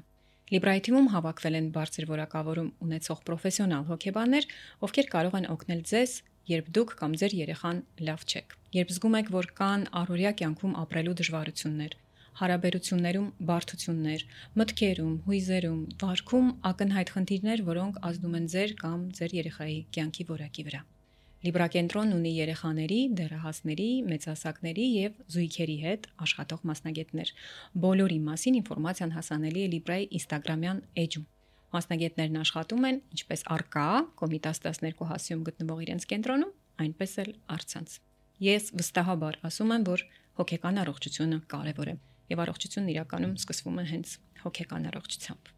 Libra-ի թիմում հավաքվել են բարձր որակավորում ունեցող պրոֆեսիոնալ հոգեբաններ, ովքեր կարող են օգնել ձեզ, երբ դուք կամ ձեր երեխան լավ չեք, երբ զգում եք, որ կան առօրյա կյանքում ապրելու դժվարություններ, հարաբերություններում բարդություններ, մտքերում, հույզերում, վարքում ակնհայտ խնդիրներ, որոնք ազդում են ձեր կամ ձեր երեխայի կյանքի որակի վրա։ Libra կենտրոնն ունի երեխաների, դեռահասների, մեծահասակների եւ զույգերի հետ աշխատող մասնագետներ։ Բոլորի մասին ինֆորմացիան հասանելի է Libra-ի Instagram-յան էջում։ Մասնագետներն աշխատում են ինչպես առկա Կոմիտաս 12 հասիում գտնվող իրենց կենտրոնում, այնպես էլ առցանց։ Ես վստահաբար ասում եմ, որ հոգեկան առողջությունը կարևոր է եւ առողջությունն իրականում սկսվում է հենց հոգեկան առողջությամբ։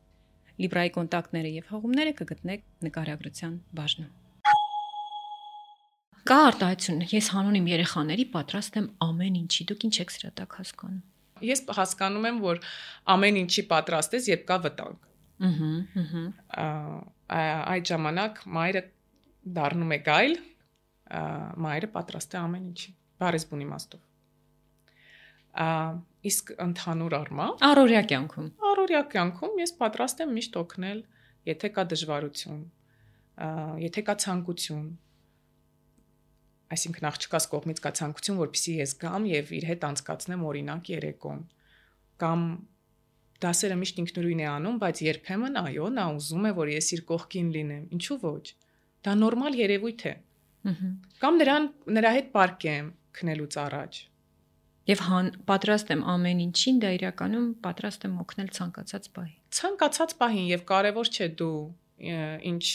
Libra-ի կոնտակտները եւ հղումները կգտնեք նկարագրության բաժնում։ Կա արտահայտություն, ես հանուն իմ երեխաների պատրաստ եմ ամեն ինչի, դուք ինչ եք սրա տակ հասկանում։ Ես հասկանում եմ, որ ամեն ինչի պատրաստ ես, երբ կա վտանգ։ Այդ ժամանակ մայրը դառնում է գայլ, մայրը պատրաստ է ամեն ինչի, բառից բուն իմաստով։ Իսկ ընդհանուր առմամբ Առօրյա կյանքում ես պատրաստ եմ միշտ օգնել, եթե կա դժվարություն, եթե կա ցանկություն, այսինքն աղջկաս կողմից կա ցանկություն, որպեսզի ես գամ եւ իր հետ անցկացնեմ օրինակ երեկոն, կամ դասերը միշտ ինքնուրույն է անում, բայց երբեմն այո, նա ուզում է, որ ես իր կողքին լինեմ, ինչու ոչ։ Դա նորմալ երևույթ է։ Կամ նրա հետ պարկեմ քնելուց առաջ։ Եվ պատրաստ եմ ամեն ինչին, դա իրականում պատրաստ եմ օգնել ցանկացած պահի։ Ցանկացած պահին եւ կարեւոր չէ դու ինչ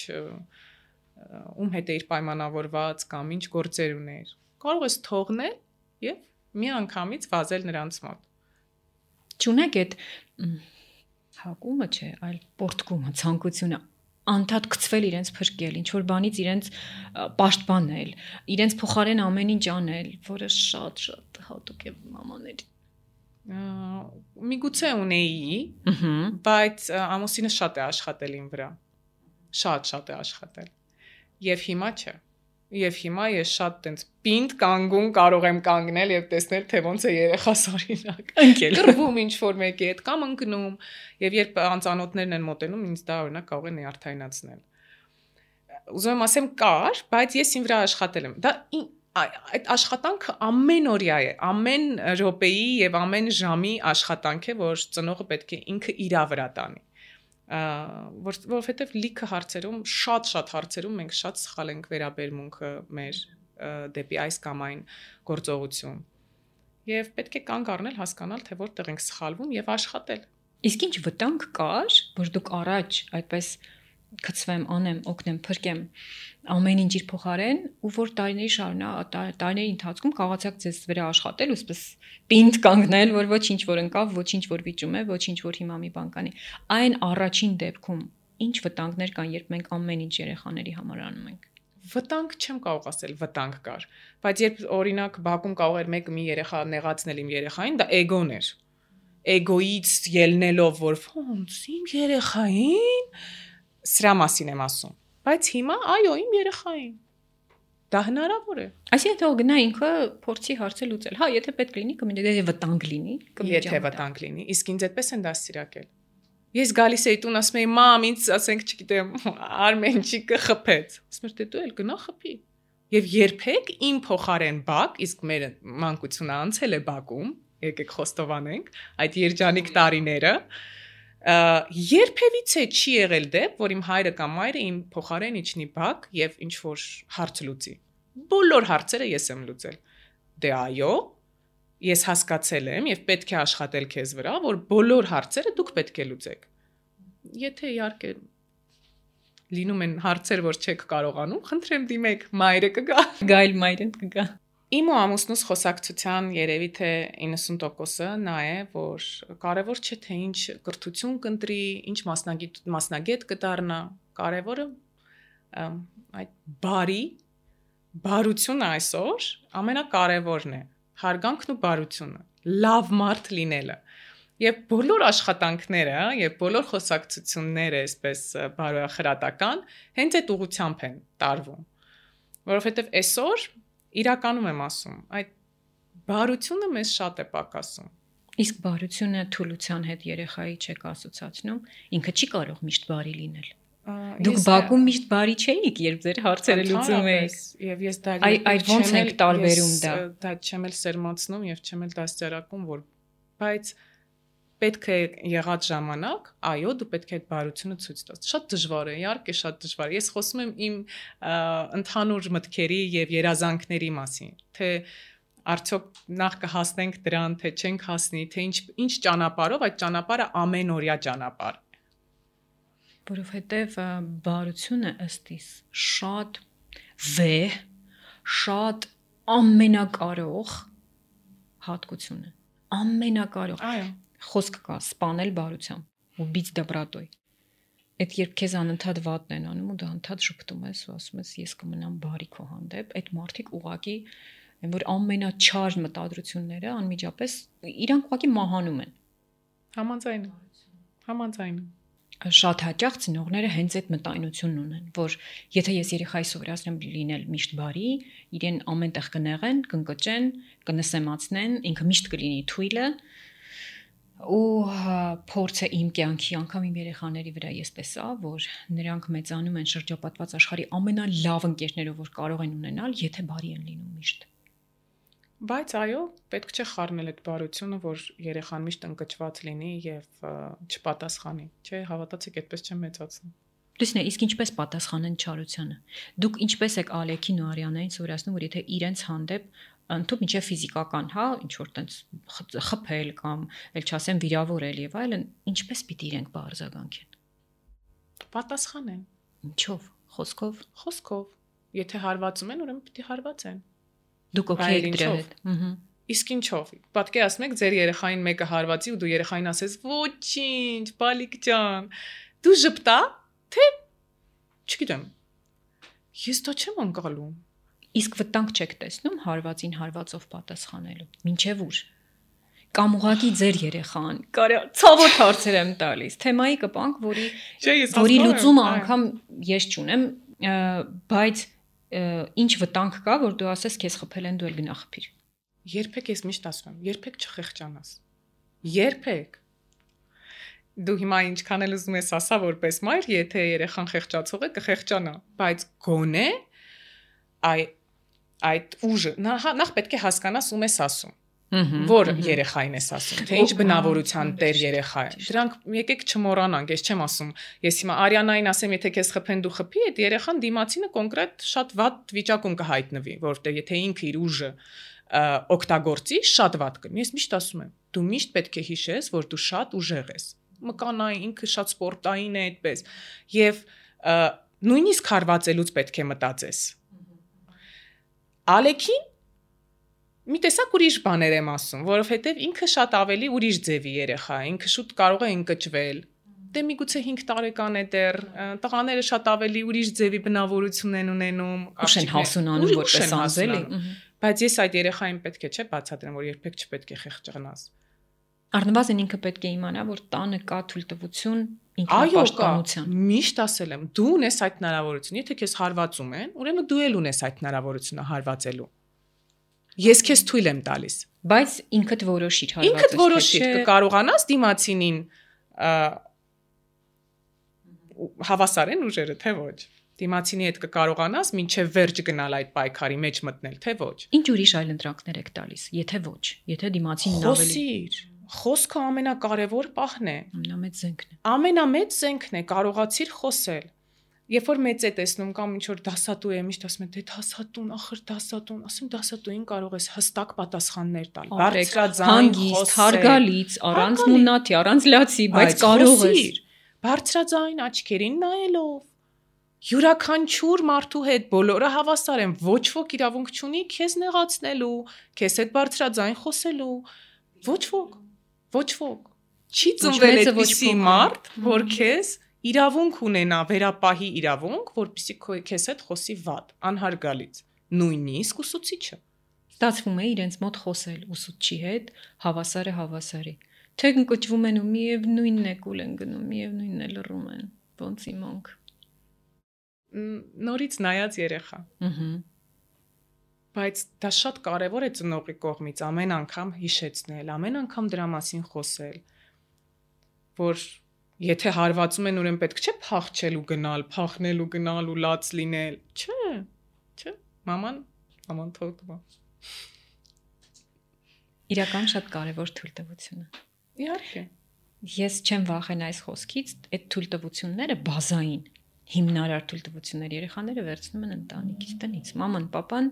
ում հետ էիր պայմանավորված կամ ինչ գործեր ուներ։ Կարող ես թողնել եւ միանգամից վազել նրանց մոտ։ Չունեք այդ հակումը չէ, այլ պորտկումը, ցանկությունը անդադ գցվել իրենց փրկել, ինչ որ բանից իրենց պաշտպանել, իրենց փոխարեն ամեն ինչ անել, որը շատ հատուկ է մամաների։ Միգուցե ունեի, բայց ամուսինը շատ է աշխատել իմ վրա։ Շատ է աշխատել։ Եվ հիմա չէ։ Եվ հիմա ես շատ տենց պինդ կանգուն կարող եմ կանգնել եւ տեսնել, թե ոնց է երեխաս օրինակ։ Ընկել։ Կռվում ինչ որ մեկի հետ կամ ընկնում, եւ երբ անծանոթներն են մոտենում, ինձ դա օրինակ կարող է նյարդայնացնել։ Ուզում եմ ասեմ կար, բայց ես իմ վրա աշխատել եմ։ Դա այդ աշխատանքը ամենօրյա է, ամեն րոպեի եւ ամեն ժամի աշխատանք է, որ ծնողը պետք է ինքը իր վրա տանի։ Որովհետև լիքը հարցերում, շատ հարցերում մենք շատ սխալ ենք վերաբերմունքը մեր դեպի այս կամ այն գործողություն։ Եվ պետք է կանգ առնել, հասկանալ, թե որտեղ ենք սխալվում եւ աշխատել։ Իսկ ինչ վտանգ կար, որ դուք առաջ այդպես գցվեմ, անեմ, օգնեմ, փրկեմ ամեն ինչ իր փոխարեն, ու որ տարիների ընթացքում կարողացաք ձեզ վրա աշխատել ու սպես պինդ կանգնել, որ ոչինչ որ ընկավ, ոչինչ որ վիճում է, ոչինչ որ հիմա մի բան կանի։ Այն առաջին դեպքում ինչ վտանգներ կան, երբ մենք ամեն ինչ երեխաների համար անում ենք։ Վտանգ չեմ կարող ասել, վտանգ կար, բայց երբ օրինակ բակում կարող էր մեկը մի երեխա նեղացնել իմ երեխային, դա էգոն էր։ Էգոից ելնելով, որ ոնց իմ երեխային սրա մասին եմ ասում, բայց հիմա այո, իմ երեխային դա հնարավոր է։ Այսինքն թող գնա ինքը փորձի հարցը լուծել։ Հա, եթե պետք լինի, կմիտի վտանգ լինի, եթե վտանգ լինի, իսկ ինձ այդպես են դաստիարակել։ Ես գալիս էի տուն, ասում էի, մամ, ինձ ասենք, չգիտեմ, Արմենչիկը խփեց։ Ասում եմ, դու էլ գնա խփի։ Եվ երբեք իմ փոխարեն բակ, իսկ մեր մանկությունը անցել է բակում, եկեք խոստովանենք, այդ երջանիկ տարիները, երբևիցե չի եղել դեպք, որ իմ հայրը կամ մայրը իմ փոխարեն իջնի բակ եւ ինչ որ հարց լուծի։ Բոլոր հարցերը ես եմ լուծել։ Դե այո, ես հասկացել եմ եւ պետք է աշխատել քեզ վրա, որ բոլոր հարցերը դուք պետք է լուծեք։ Եթե իհարկե լինում են հարցեր, որ չեք կարողանում, խնդրեմ դիմեք, մայրը կգա։ Գայլ մայրը կգա։ Իմ ու ամուսնուս խոսակցության երևի թե 90%-ը նա է, որ կարևոր չէ թե ինչ կրթություն կընտրի, ինչ մասնագետ կդառնա, կարևորը այդ բարությունը այսօր ամենակարևորն է, հարգանքն ու բարությունը, լավ մարդ լինելը։ Եվ բոլոր աշխատանքները, եւ բոլոր խոսակցությունները, այսպես բարոյախրատական, հենց այդ ուղղությամբ են տարվում։ Որովհետեւ այսօր իրականում եմ ասում, այդ բարությունը մեզ շատ է պակասում։ Իսկ բարությունը թուլության հետ երեխայի չեք ասոցացնում, ինքը չի կարող միշտ բարի լինել։ Դուք բակում միշտ բարի չէիք, երբ ձեր հարցերը լուծում էիք։ Եվ ես դա այդ ոնց է տարբերում դա։ Դա չեմ էլ սերմացնում եւ չեմ էլ դաստիարակում, որ բայց պետք է եղած ժամանակ, այո, դու պետք է այդ բարությունը ցույց տաս։ Շատ դժվար է, իհարկե շատ դժվար է։ Ես խոսում եմ իմ ընդհանուր մտքերի եւ երազանքների մասին, թե արդյոք նախ կհասնենք դրան, թե չենք հասնի, թե ինչ ճանապարհով, այդ ճանապարհը ամենօրյա ճանապարհ է։ Որովհետեւ բարությունը ըստիս շատ վեհ, շատ ամենակարող հատկություն է։ Ամենակարող։ Այո։ Խոսք կա սպանել բարությամբ ու բիծ դբրատոյ։ Այդ երբ քեզ անընդհատ վատն են անում ու դա անընդհատ շփտում ես ու ասում ես ես կմնամ բարի քո հանդեպ, այդ մարդիկ ուղակի են որ ամենաչար մտադրությունները անմիջապես իրանք ուղակի մահանում են։ Համաձայն։ Շատ հաճախ ծնողները հենց այդ մտայնությունն ունեն, որ եթե ես երեխայի սովորացնեմ լինել միշտ բարի, իրեն ամեն տեղ կնեղեն, կընկճեն, կնսեմացնեն, ինքը միշտ կլինի թույլը, ու փորձը իմ կյանքի անգամ իմ երեխաների վրա ես տեսա, որ նրանք մեծանում են շրջապատված աշխարհի ամենալավ ընկերներով, որ կարող են ունենալ, եթե բարի են լինում միշտ։ Բայց այո, պետք չէ խառնել այդ բարությունը, որ երեխան միշտ ընկճված լինի եւ չպատասխանի, չէ, հավատացեք, այդպես չեմ մեծացնում։ Լսնե, իսկ ինչպես պատասխանեն չարությանը։ Դուք ինչպես եք Ալեքին ու Արիանային սովորացնում, որ եթե իրենց հանդեպ ընդཐུպ ինչե ֆիզիկական, հա, ինչ որ տենց խփել կամ ել չասեմ վիրավորել եւ այլն, ինչպես պիտի իրենք բարձրագանքեն։ Պատասխանեն։ Ինչով, խոսքով։ Եթե հարվածում են, ուրեմն պիտի հարվածեն։ Դուք օքեյ եք դրա հետ։ Իսկ ինչով։ Պատկերացնեք, ձեր երեխային մեկը հարվածի ու դու երեխային ասես. «Ոչինչ, բալիկ ջան, դու ժպտա, թե չգիտեմ։ Ես դա չեմ անցալում»։ Իսկ վտանգ չեք տեսնում հարվածին հարվածով պատասխանելու։ Մինչև ուր։ Կամ ուղղակի ձեր երեխան, կարա ցավոտ հարցեր եմ տալիս։ Թեմայի կպանք, որի լուծումը անգամ ես չունեմ, բայց ինչ վտանգ կա, որ դու ասես քեզ խփել են, դու էլ գնա խփիր։ Երբեք ես միշտ ասում եմ, երբեք չխեղճանաս։ Երբեք։ Դու հիմա ինչքան էլ ուզում ես ասա որպես մայր, եթե երեխան խեղճացող է, կխեղճանա, բայց գոնե այդ ուժը նախ պետք է հասկանաս ում ես ասում։ Որ երեխային ես ասում, թե ինչ բնավորության տեր երեխա է։ Դրանք եկեք չմոռանանք, ես չեմ ասում, ես հիմա Արիանային ասեմ, եթե քեզ խփեն դու խփի, այդ երեխան դիմացինը կոնկրետ շատ վատ վիճակում կհայտնվի, որտեղ եթե ինքը իր ուժը օգտագործի, շատ վատ կլինի։ Ես միշտ ասում եմ, դու միշտ պետք է հիշես, որ դու շատ ուժեղ ես։ Մկանային, ինքը շատ սպորտային է այդպես։ Եվ նույնիսկ հարվածելուց պետք է մտածես։ Ալեքին մի տեսակ ուրիշ բաներ եմ ասում, որովհետև ինքը շատ ավելի ուրիշ ձևի երեխա է, ինքը շուտ կարող է ընկճվել։ Դե միգուցե 5 տարեկան է դեռ, տղաները շատ ավելի ուրիշ ձևի բնավորություն են ունենում, ուշ են հասունանում որպես անձ, բայց ես այդ երեխային պետք է չէ բացատրեմ, որ երբեք չպետք է խեղճանաս։ Առնվազն ինքը պետք է իմանա, որ տանը կա թույլտվություն ինքնապաշտպանության։ Միշտ ասել եմ, դու ունես այդ հնարավորությունը, եթե քեզ հարվածում են, ուրեմն դու էլ ունես այդ հնարավորությունը հարվածելու։ Ես քեզ թույլ եմ տալիս, բայց ինքդ որոշիր հարվածը։ Ինքդ որոշիր, կկարողանաս դիմացինին հավասարեն ուժերը, թե ոչ։ Դիմացինի հետ կկարողանաս մինչև վերջ գնալ այդ պայքարի մեջ մտնել, թե ոչ։ Ինչ ուրիշ այլ ընտրակներ եք տալիս, եթե ոչ, եթե դիմացինն ավելի։ Խոսքը ամենակարևոր պահն է։ Ամենամեծ զենքն է։ Ամենամեծ զենքն է, կարողացիր խոսել։ Երբ որ մեծ է տեսնում կամ ինչ որ դասատու է, միշտ ասում են, դե դասատուն, ախր դասատուն, ասում դասատուին կարող ես հստակ պատասխաններ տալ։ Բարձրաձայն խոսել, հարգալից, առանց մունաթի, առանց լացի, բայց կարող ես։ Բարձրաձայն աչքերին նայելով։ Յուրաքանչյուր մարդու հետ բոլորը հավասար են, ոչ ոք իրավունք չունի քեզ նեղացնելու, քեզ հետ բարձրաձայն խոսելու։ Ոչ ոք։ Չի ծնվել այդպիսի մարդ, որ քեզ իրավունք ունենա, վերապահի իրավունք, որպեսզի քեզ հետ խոսի վատ, անհարգալից, նույնիսկ ուսուցիչը։ Ստացվում է իրենց մոտ խոսել ուսուցչի հետ, հավասարը հավասարի։ Թե ընկճվում են ու միևնույնն է կուլ են գնում, միևնույնն է լռում են, ոնց իմանք։ Նորից նայած երեխա։ Բայց դա շատ կարևոր է ծնողի կողմից ամեն անգամ հիշեցնել, ամեն անգամ դրա մասին խոսել, որ եթե հարվածում են, ուրեմն պետք չէ փախչել ու գնալ, փախնել ու գնալ ու լաց լինել։ Չէ, մաման թողտվա։ Իրական շատ կարևոր թույլտվությունը։ Իհարկե։ Ես չեմ վախենա այս խոսքից, այդ թույլտվությունները բազային, հիմնարար թույլտվություններ երեխաները վերցնում են ընտանիքից տնից։ Մաման, պապան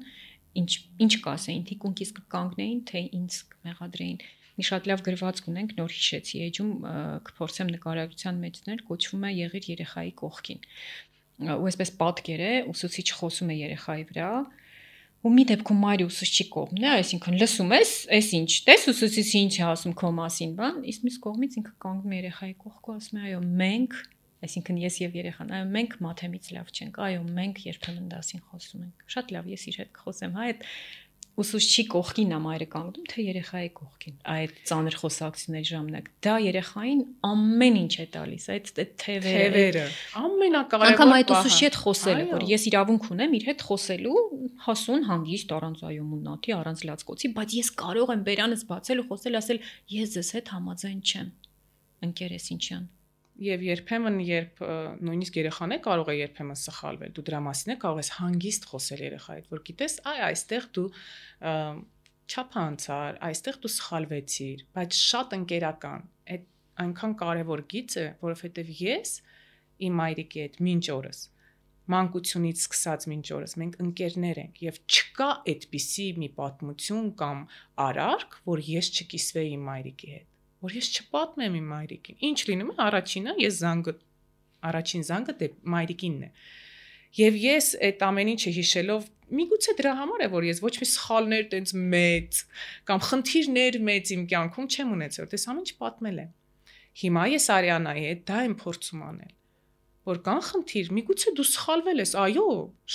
ինչ կասեին, թիկունքից կկանգնեին, թե ինձ մեղադրեին։ Մի շատ լավ գրվածք ունենք, նոր հիշեցի, էջում կփորձեմ նկարագրության մեջներ, կոչվում է եղիր երեխայի կողքին։ Ու այսպես պատկեր է, ուսուցիչ խոսում է երեխայի վրա, ու մի դեպքում մայրը ուսուցչի կողմն է, այսինքն լսում ես, այս ինչ, տես ուսուցիչը ինչ է ասում քո մասին, բան, իսկ մյուս կողմից ինքը կանգնում է երեխայի կողքով, ասում է, այո, մենք Այսինքն ես եւ երեխան, այո, մենք մաթեմից լավ չենք, այո, մենք երբեմն դասին խոսում ենք։ Շատ լավ, ես իր հետ կխոսեմ, հա, այդ ուսուցչի կողքին ամայրը կանգնում, թե երեխայի կողքին։ Այդ ծանր խոսակցությունների ժամանակ դա երեխային ամեն ինչ է տալիս, այդ թևերը, ամենակարևոր անգամ այդ ուսուցչի հետ խոսելը, որ ես իրավունք ունեմ իր հետ խոսելու, հասուն, հանգիստ, առանց այոմուննաթի, առանց լացկոցի, բայց ես կարող եմ բերանս բացել ու խոսել, ասել, ես ձեզ հետ համաձայն չեմ։ Ընկերես ինչան։ Եվ երբեմն երբ նույնիսկ երեխան է կարող է երբեմն սխալվել, դու դրա մասին կարող ես հանգիստ խոսել երեխայի հետ, որ գիտես, այստեղ դու չափանցար, այստեղ դու սխալվեցիր, բայց շատ ընկերական, այդ այնքան կարևոր գիծ է, որովհետև ես իմ մայրիկի հետ մինչ օրս մանկությունից սկսած մինչ օրս մենք ընկերներ ենք եւ չկա այդպիսի մի պատմություն կամ արարք, որ ես չկիսվեի իմ մայրիկի հետ, որ ես չպատմեմ իմ մայրիկին։ Ինչ լինում է առաջինը, առաջին զանգը դե մայրիկինն է։ Եվ ես այդ ամեն ինչը հիշելով, միգուցե դրա համար է, որ ես ոչ մի սխալներ տենց մեծ կամ խնդիրներ մեծ իմ կյանքում չեմ ունեցել, դες ամեն ինչ պատմել եմ։ Հիմա ես Արիանայի հետ դա եմ փորձում անել, որ կան խնդիր, միգուցե դու սխալվել ես, այո,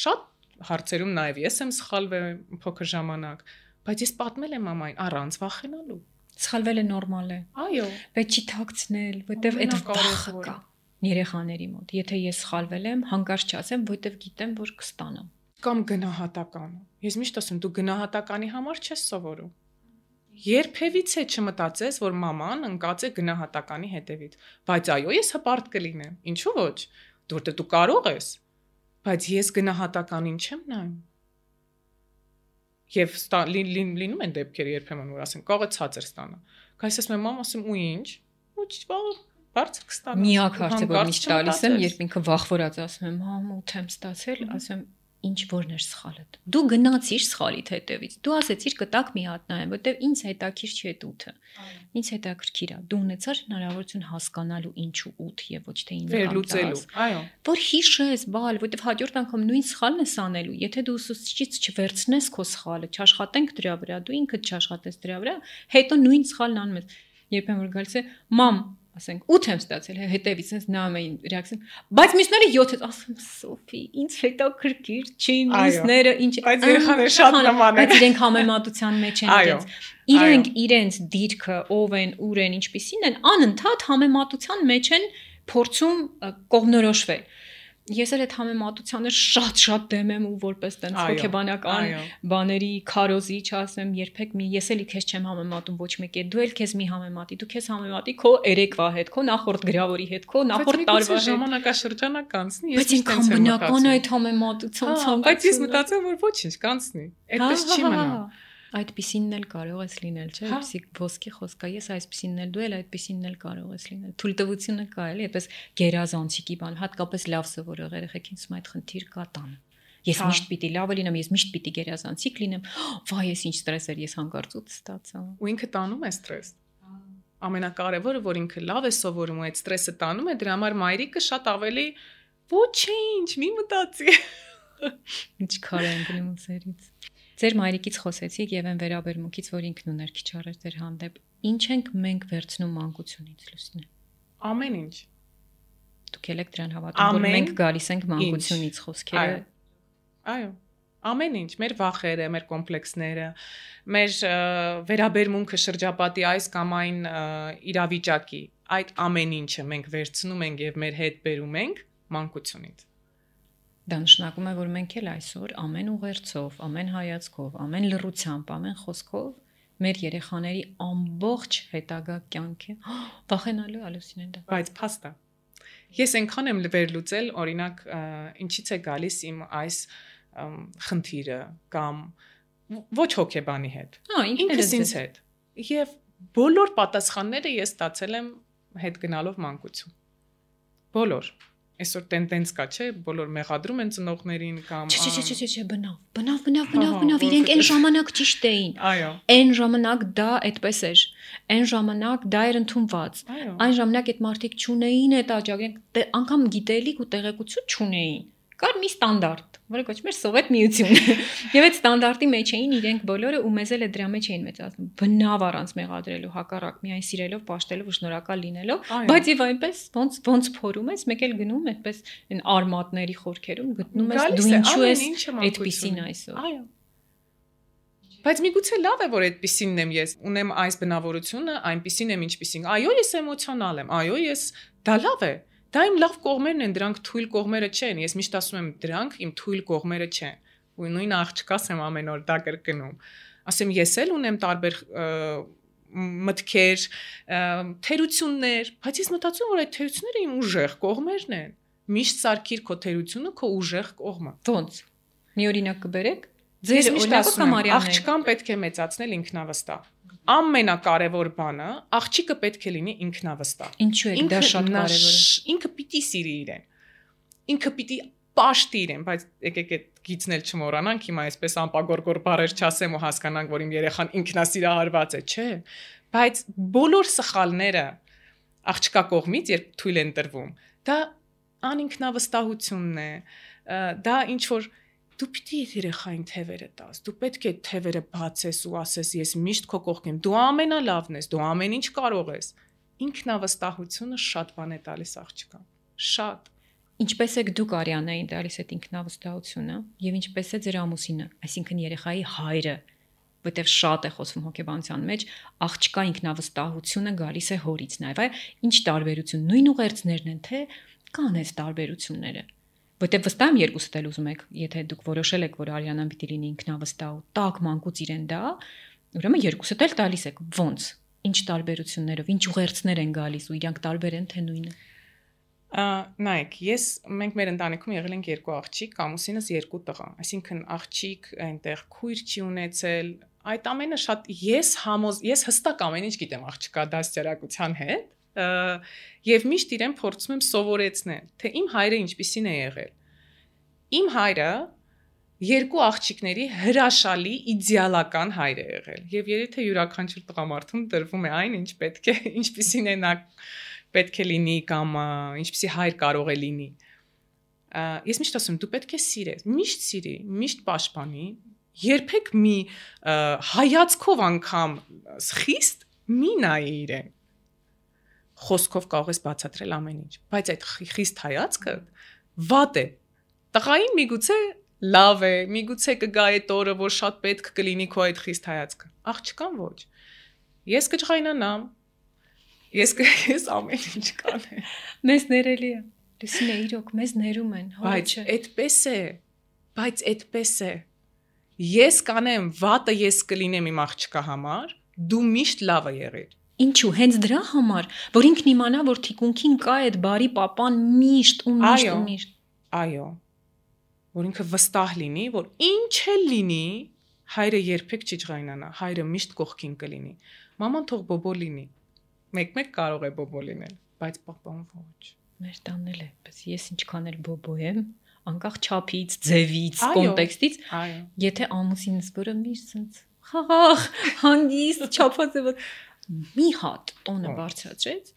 շատ հարցերում նաև ես եմ սխալվել փոքր ժամանակ, բայց ես պատմել եմ մամային առանց վախենալու։ Սխալվելը նորմալ է։ Այո, բայց չի թաքցնել, որտեվ այդ վախը կա երեխաների մոտ։ Եթե ես սխալվել եմ, հանկարծ չասեմ, որտեվ գիտեմ, որ կստանամ։ Կամ գնահատականը։ Ես միշտ ասում, դու գնահատականի համար չես սովորում։ Երբևիցե չմտածես, որ մաման ընկած է գնահատականի հետևից։ Բայց այո, ես հպարտ կլինեմ։ Ինչու ոչ։ Որտեղ դու կարող ես։ Բայց ես գնահատականին չեմ նայում։ Եվ լինում են դեպքեր երբեմն որ ասեն կարող է ցածր ստանա։ Բայց ասում եմ մամ, ասում ու ինչ։ Ոչ, բարձր կստանա։ Միակ հարցը որ միշտ տալիս եմ, երբ ինքը վախվորած ասում եմ, մամ, 8 եմ ստացել, ասում եմ, ինչ որն էր սխալդ։ Դու գնացիր սխալիդ հետևից։ Դու ասեցիր կտակ մի հատ նայեմ, որտեվ ինձ հետաքրքիր չի այդ 8-ը։ Ինձ հետաքրքիր է։ Դու ունեցար հնարավորություն հասկանալու ինչու 8 եւ ոչ թե 9 վերլուծելու։ Այո։ Որ հիշես, բալ, որտեվ հաջորդ անգամ նույն սխալն ես անելու։ Եթե դու ուսուցչից չվերցնես քո սխալը, չաշխատենք դրա վրա, դու ինքդ չաշխատես դրա վրա, հետո նույն սխալն անում ես։ Երբեմն որ գալիս է, մամ, ասենք 8 եմ ստացել, հետևից ինձ նայում էին ռեակցիան, բայց մյուսները 7-ից, ասում Սոֆի, ինձ հետաքրքիր չի, մյուսները ինչ, բայց երեխաները շատ նման են, բայց իրենք համեմատության մեջ են իրենց իրենց դիրքը, ով են, ուր են, ինչպիսին են, անընդհատ համեմատության մեջ են փորձում կողմնորոշվել։ Ես էլ այդ համեմատությանը շատ դեմ եմ ու որպես տենց հոգեբանական բաների քարոզի չասեմ երբեք ես էլի քեզ չեմ համեմատում ոչ մեկի հետ, դու էլ քեզ մի համեմատի, դու քեզ համեմատի քո երեկվա հետ, քո նախորդ գրավորի հետ, քո նախորդ տարվա հետ։ Ժամանակաշրջանը կանցնի, ես ինքն բնական այդ համեմատության ցանկացում։ Բայց ես մտածում որ ոչինչ կանցնի։ Այդպես չի մնա։ Այդպիսինն էլ կարող ես լինել, չէ՞, պսիկ ոսկի խոսքա, ես այսպիսինն էլ դու էլ այդպիսինն էլ կարող ես լինել։ Թույլտվությունը կա էլի, այդպես գերազանցիկի բան, հատկապես լավ սովորող երեխեքին սա այդ խնդիր կա տան։ Ես միշտ պիտի լավը լինեմ, ես միշտ պիտի գերազանցիկ լինեմ։ Վայ, ես ինչ ստրես էր, ես հանկարծ 8 ստացա։ Ու ինքը տանում է ստրես։ Ամենակարևորը, որ ինքը լավ է սովորում ու այդ ստրեսը տանում է, դրա համար մայրիկը շատ ավելի ոչինչ, մի մտածի։ Ինչ քար են գնում սերից։ Ձեր մայրիկից խոսեցիք եւ այն վերաբերմունքից, որ ինքն ուներ քիչ առաջ ձեր հանդեպ։ Ինչ ենք մենք վերցնում մանկությունից, Լուսինե։ Ամեն ինչ։ Դուք եք դրան հավատում, որ մենք գալիս ենք մանկությունից խոսքերը։ Այո։ Ամեն ինչ, մեր վախերը, մեր կոմպլեքսները, մեր վերաբերմունքը շրջապատի այս կամ այն իրավիճակի, այդ ամեն ինչը մենք վերցնում ենք եւ մեր հետ բերում ենք մանկությունից։ Դա նշանակում է, որ մենք էլ այսօր ամեն ուղերձով, ամեն հայացքով, ամեն լռությամբ, ամեն խոսքով մեր երեխաների ամբողջ հետագա կյանքը վախենալու ալուսինեն դա։ Բայց փաստա։ Ես այնքան եմ վերլուծել, օրինակ, ինչից է գալիս իմ այս խնդիրը կամ ոչ հոգեբանի հետ։ Ինքս ինձ հետ։ Եվ բոլոր պատասխանները ես ստացել եմ հետ գնալով մանկություն։ Բոլոր Այսօր տենդենս կա, չէ, բոլոր մեղադրում են ծնողներին կամ Չէ, բնավ, իրենք այն ժամանակ ճիշտ էին։ Այո։ Այն ժամանակ դա այդպես էր։ Այն ժամանակ դա էր ընդունված։ Այն ժամանակ այդ մարդիկ չունեին այդ աջակցություն, անգամ գիտելիք ու տեղեկություն չունեին։ Կար մի ստանդարտ, որը կոչվում էր Սովետ միություն։ Եվ այդ ստանդարտի մեջ էին իրենք բոլորը ու մեզ էլ է դրա մեջ էին մեծացնում։ Բնավ առանց մեղադրելու, հակառակ միայն սիրելով, պաշտելով ու շնորհակալ լինելով, բայց եւ այնպես ոնց փորում ես, մեկ էլ գնում այդպես այն արմատների խորքերում գտնում ես դու ինչու ես այդպեսին այսօր։ Այո։ Բայց միգուցե լավ է, որ այդպեսինն եմ ես, ունեմ այս բնավորությունը, այնպեսին եմ, ինչպեսին։ Այո, ես էմոցիոնալ եմ, այո, ես դա լավ է։ Դա իմ լավ կողմերն են, դրանք թույլ կողմերը չեն։ Ես միշտ ասում եմ, դրանք իմ թույլ կողմերը չեն։ Ու նույն աղջկաս եմ ամեն օր դա կրկնում։ Ասեմ, ես էլ ունեմ տարբեր մտքեր, թերություններ, բայց ես մտածում եմ, որ այդ թերությունները իմ ուժեղ կողմերն են։ Միշտ սարքիր քո թերությունը քո ուժեղ կողմը։ Ոնց։ Մի օրինակ կբերեք։ Ձեր օրինակը կամ աղջկան պետք է մեծացնել ինքնավստահ։ Ամենակարևոր բանը աղջիկը պետք է լինի ինքնավստահ։ Ինչու է դա շատ կարևոր է։ Ինքը պիտի սիրի իրեն։ Ինքը պիտի պաշտի իրեն, բայց եկեք այդ գիծն էլ չմոռանանք, հիմա այսպես անպագորգոր բառեր չասեմ ու հասկանանք, որ իմ երեխան ինքնասիրահարված է, չէ։ Բայց բոլոր սխալները աղջկա կողմից, երբ թույլ են տրվում, դա անինքնավստահությունն է, դա ինչ որ դու պիտի երեխային թևերը տաս, դու պետք է թևերը բացես ու ասես ես միշտ քո կողքին եմ, դու ամենալավն ես, դու ամեն ինչ կարող ես։ Ինքնավստահությունը շատ բան է տալիս աղջկան, շատ։ Ինչպես եք դուք Արիանային տալիս այդ ինքնավստահությունը եւ ինչպես է ձեր ամուսինը, այսինքն երեխայի հայրը, որտեվ շատ է խոսվում հոգեբանության մեջ, աղջկա ինքնավստահությունը գալիս է հորից նաեւ, ինչ տարբերություն, նույն ուղերձներն են, թե կան այս տարբերությունները։ Որտեւ վստահ եմ երկուսդ էլ ուզում եք, եթե դուք որոշել եք, որ Արիանան պիտի լինի ինքնավստահ ու տակ մանկուց իրեն դա, ուրեմն երկուսդ էլ տալիս եք։ Ոնց։ Ինչ տարբերություններով, ինչ ուղերձներ են գալիս ու իրանք տարբեր են թե նույնը։ Նայեք, մենք մեր ընտանիքում եղել ենք երկու աղջիկ, ամուսինս երկու տղա, այսինքն աղջիկ այնտեղ քույր չի ունեցել, այդ ամենը շատ ես հստակ ամեն ինչ գիտեմ աղջկա դաստիարակության հետ, եւ միշտ իրեն փորձում եմ սովորեցնել, թե իմ հայրը ինչպիսին է եղել։ Իմ հայրը երկու աղջիկների հրաշալի իդեալական հայր է եղել, եւ երբ յուրաքանչյուր տղամարդուն տրվում է այն, ինչ պետք է, ինչպիսին է նա պետք է լինի կամ ինչպիսի հայր կարող է լինի։ Ես միշտ ասում եմ, դու պետք է սիրես, միշտ սիրի, միշտ պաշտպանի, երբեք մի հայացքով անգամ խիստ մի նայի իրեն։ Խոսքով կարող ես բացատրել ամեն ինչ, բայց այդ խիստ հայացքը վատ է։ Տղային միգուցե լավ է, միգուցե կգա այդ օրը, որ շատ պետք կլինի քո այդ խիստ հայացքը։ Աղջկան ոչ։ Ես կջղայնանամ, ես ամեն ինչ կանեմ։ Մեզ ներելի է։ Լուսինե, իրոք մեզ ներում են, բայց այդպես է։ Ես կանեմ, վատը ես կլինեմ իմ աղջկա համար, դու միշտ լավը եղիր։ Ինչու, հենց դրա համար, որ ինքն իմանա, որ թիկունքին կա այդ բարի պապան միշտ ու միշտ ու միշտ։ Այո։ Որ ինքը վստահ լինի, որ ինչ էլ լինի, հայրը երբեք չջղայնանա, հայրը միշտ կողքին կլինի։ Մաման թող բոբո լինի։ Մեկ-մեկ կարող է բոբո լինել, բայց պապան ոչ։ Մեր տանն էլ է, բայց ես ինչքան էլ բոբո եմ, անկախ չափից, ձևից, կոնտեքստից, եթե ամուսինս որը միշտ sense խաղաղ, հանգիստ, չափածը մի հատ տոնը բարձրացրեց,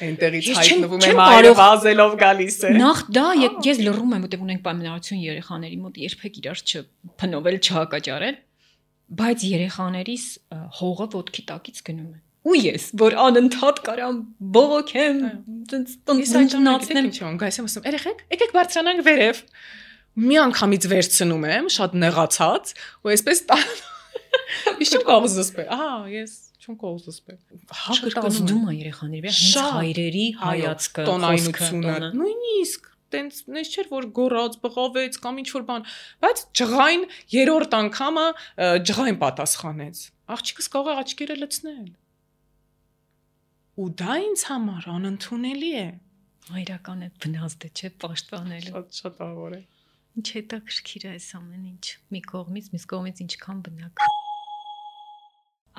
այնտեղից հայտնվում է մայրը վազելով գալիս է։ Նախ դա ես լռում եմ, որտեղ ունենք պայմանավորություն երեխաների մոտ, երբեք իրար չփնովել, չհակաճարել, բայց երեխաներիս հողը ոտքի տակից գնում է։ Ու ես, որ անընդհատ կարամ բողոքեմ, տնտնացնեմ, գայս եմ ասում, երեխեք, եկեք բարձրանանք վերև։ Մի անգամից վերցնում եմ, շատ նեղացած, ու այսպես Իշ կողզսպե։ Ահա, ես չուն կողզսպե։ Հակրկազդում է երեխաների վրա, հենց հայրերի հայացքը, տոնայնությունը, նույնիսկ տենց նես չէր որ գոռաց, բղավեց կամ ինչ որ բան, բայց ջղայն երրորդ անգամը ջղայն պատասխանեց։ Աղջիկս կարող է աչքերը լցնել։ Ու դա ինձ համար անընդունելի է։ Հայրական է վնասը չէ պաշտպանելու։ Շատ ահավոր է։ Ինչ հետաքրքիր է այս ամեն ինչ։ Մի կողմից ինչքան բնակ։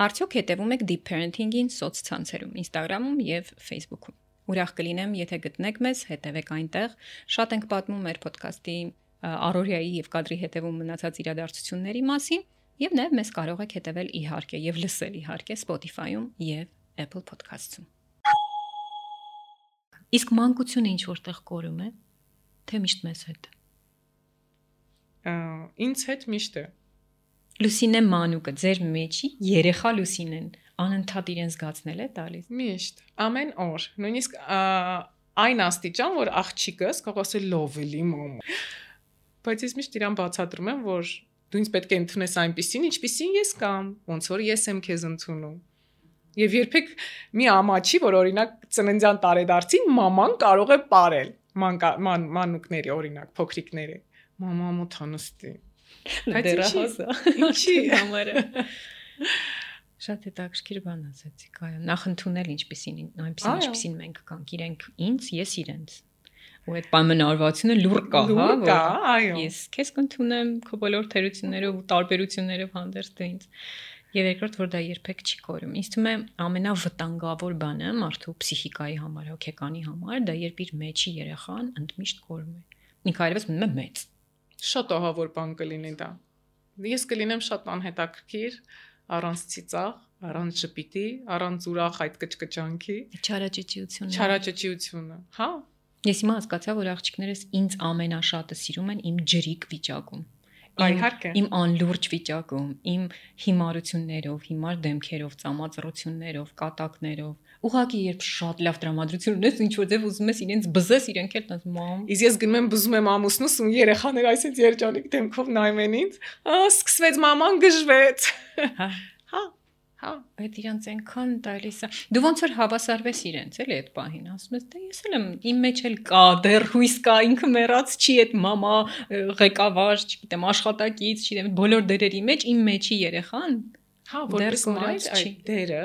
Արդյոք հետևում եք deep parenting-ին սոցցանցերում, Instagram-ում եւ Facebook-ում։ Ուրախ կլինեմ, եթե գտնեք մեզ, հետևեք այնտեղ։ Շատ ենք պատմում մեր podcast-ի առօրյայի եւ կադրի հետևում մնացած իրադարձությունների մասին եւ նաեւ մեզ կարող եք հետևել իհարկե եւ լսել իհարկե Spotify-ում եւ Apple Podcast-ում։ Իսկ մանկությունը ինչ որտեղ կորում է, թե միշտ մեզ հետ։ ինձ հետ միշտ է։ Լուսինե մանուկը ձեր մեջի երեխա Լուսինեն անընդհատ իրեն զգացնել է տալիս։ Միշտ, ամեն օր, նույնիսկ այն աստիճան, որ աղջիկս կարող ասել լովելի մամա։ Բայց ես միշտ իրան բացատրում եմ, որ դու ինձ պետք է ընդունես այնպիսին, ինչպիսին ես կամ, ոնց որ ես եմ քեզ ընդունում։ Եվ երբեք մի ամաչի, որ օրինակ ծննդյան տարեդարձին մաման կարող է ապարել մանուկների օրինակ, փոքրիկների։ Մամա մոթանստի։ Ինչի համարը։ Շատ հետաքրքիր բան ասացիք, այո, նախ ընդունել ինչպիսին մենք կանք, իրենք ինձ, ես իրենց։ Ու այդ պայմանավորվածությունը լուր կա, հա, այո։ Ես քեզ կընդունեմ քո բոլոր թերություններով ու տարբերություններով հանդերձ դու ինձ։ Եվ երկրորդ, որ դա երբեք չի կորում։ Ինձ թվում է ամենավտանգավոր բանը մարդու պսիխիկայի համար, հոգեկանի համար, դա երբ իր մեջի երեխան ընդմիշտ կորում է։ Ինքը այլևս մնում է մեծ։ Շատ ահավոր բան կլինի դա։ Ես կլինեմ շատ անհետաքրքիր, առանց ծիծաղ, առանց ժպիտի, առանց ուրախ այդ կճկճանքի, չարաճճիությունը, հա։ Ես հիմա հասկացա, որ աղջիկներս ինձ ամենաշատը սիրում են իմ ջրիկ վիճակում։ Իմ անլուրջ վիճակում, իմ հիմարություններով, հիմար դեմքերով, ծամածռություններով, կատակներով։ Ուղղակի երբ շատ լավ տրամադրություն ունես, ինչ որ ձև ուզում ես իրենց բզես, իրենք էլ տես մամ։ Իսկ ես գնում եմ բզում եմ ամուսնուս ու երեխաները այսպես երջանիկ դեմքով նայում են ինձ։ Սկսվեց մաման գժվեց։ Հա, այդ իրանց այնքան տալիս է։ Դու ոնց որ հավասարվես իրենց, էլի այդ պահին, ասում ես, դե ես էլ եմ, իմ մեջ էլ կա, դեռ հույս կա, ինքը մեռած չի, այդ մամա ղեկավար, չգիտեմ, աշխատակից, չգիտեմ, բոլոր դերերի մեջ իմ մեջի երեխան, հա, որպես մայր այդ դերը,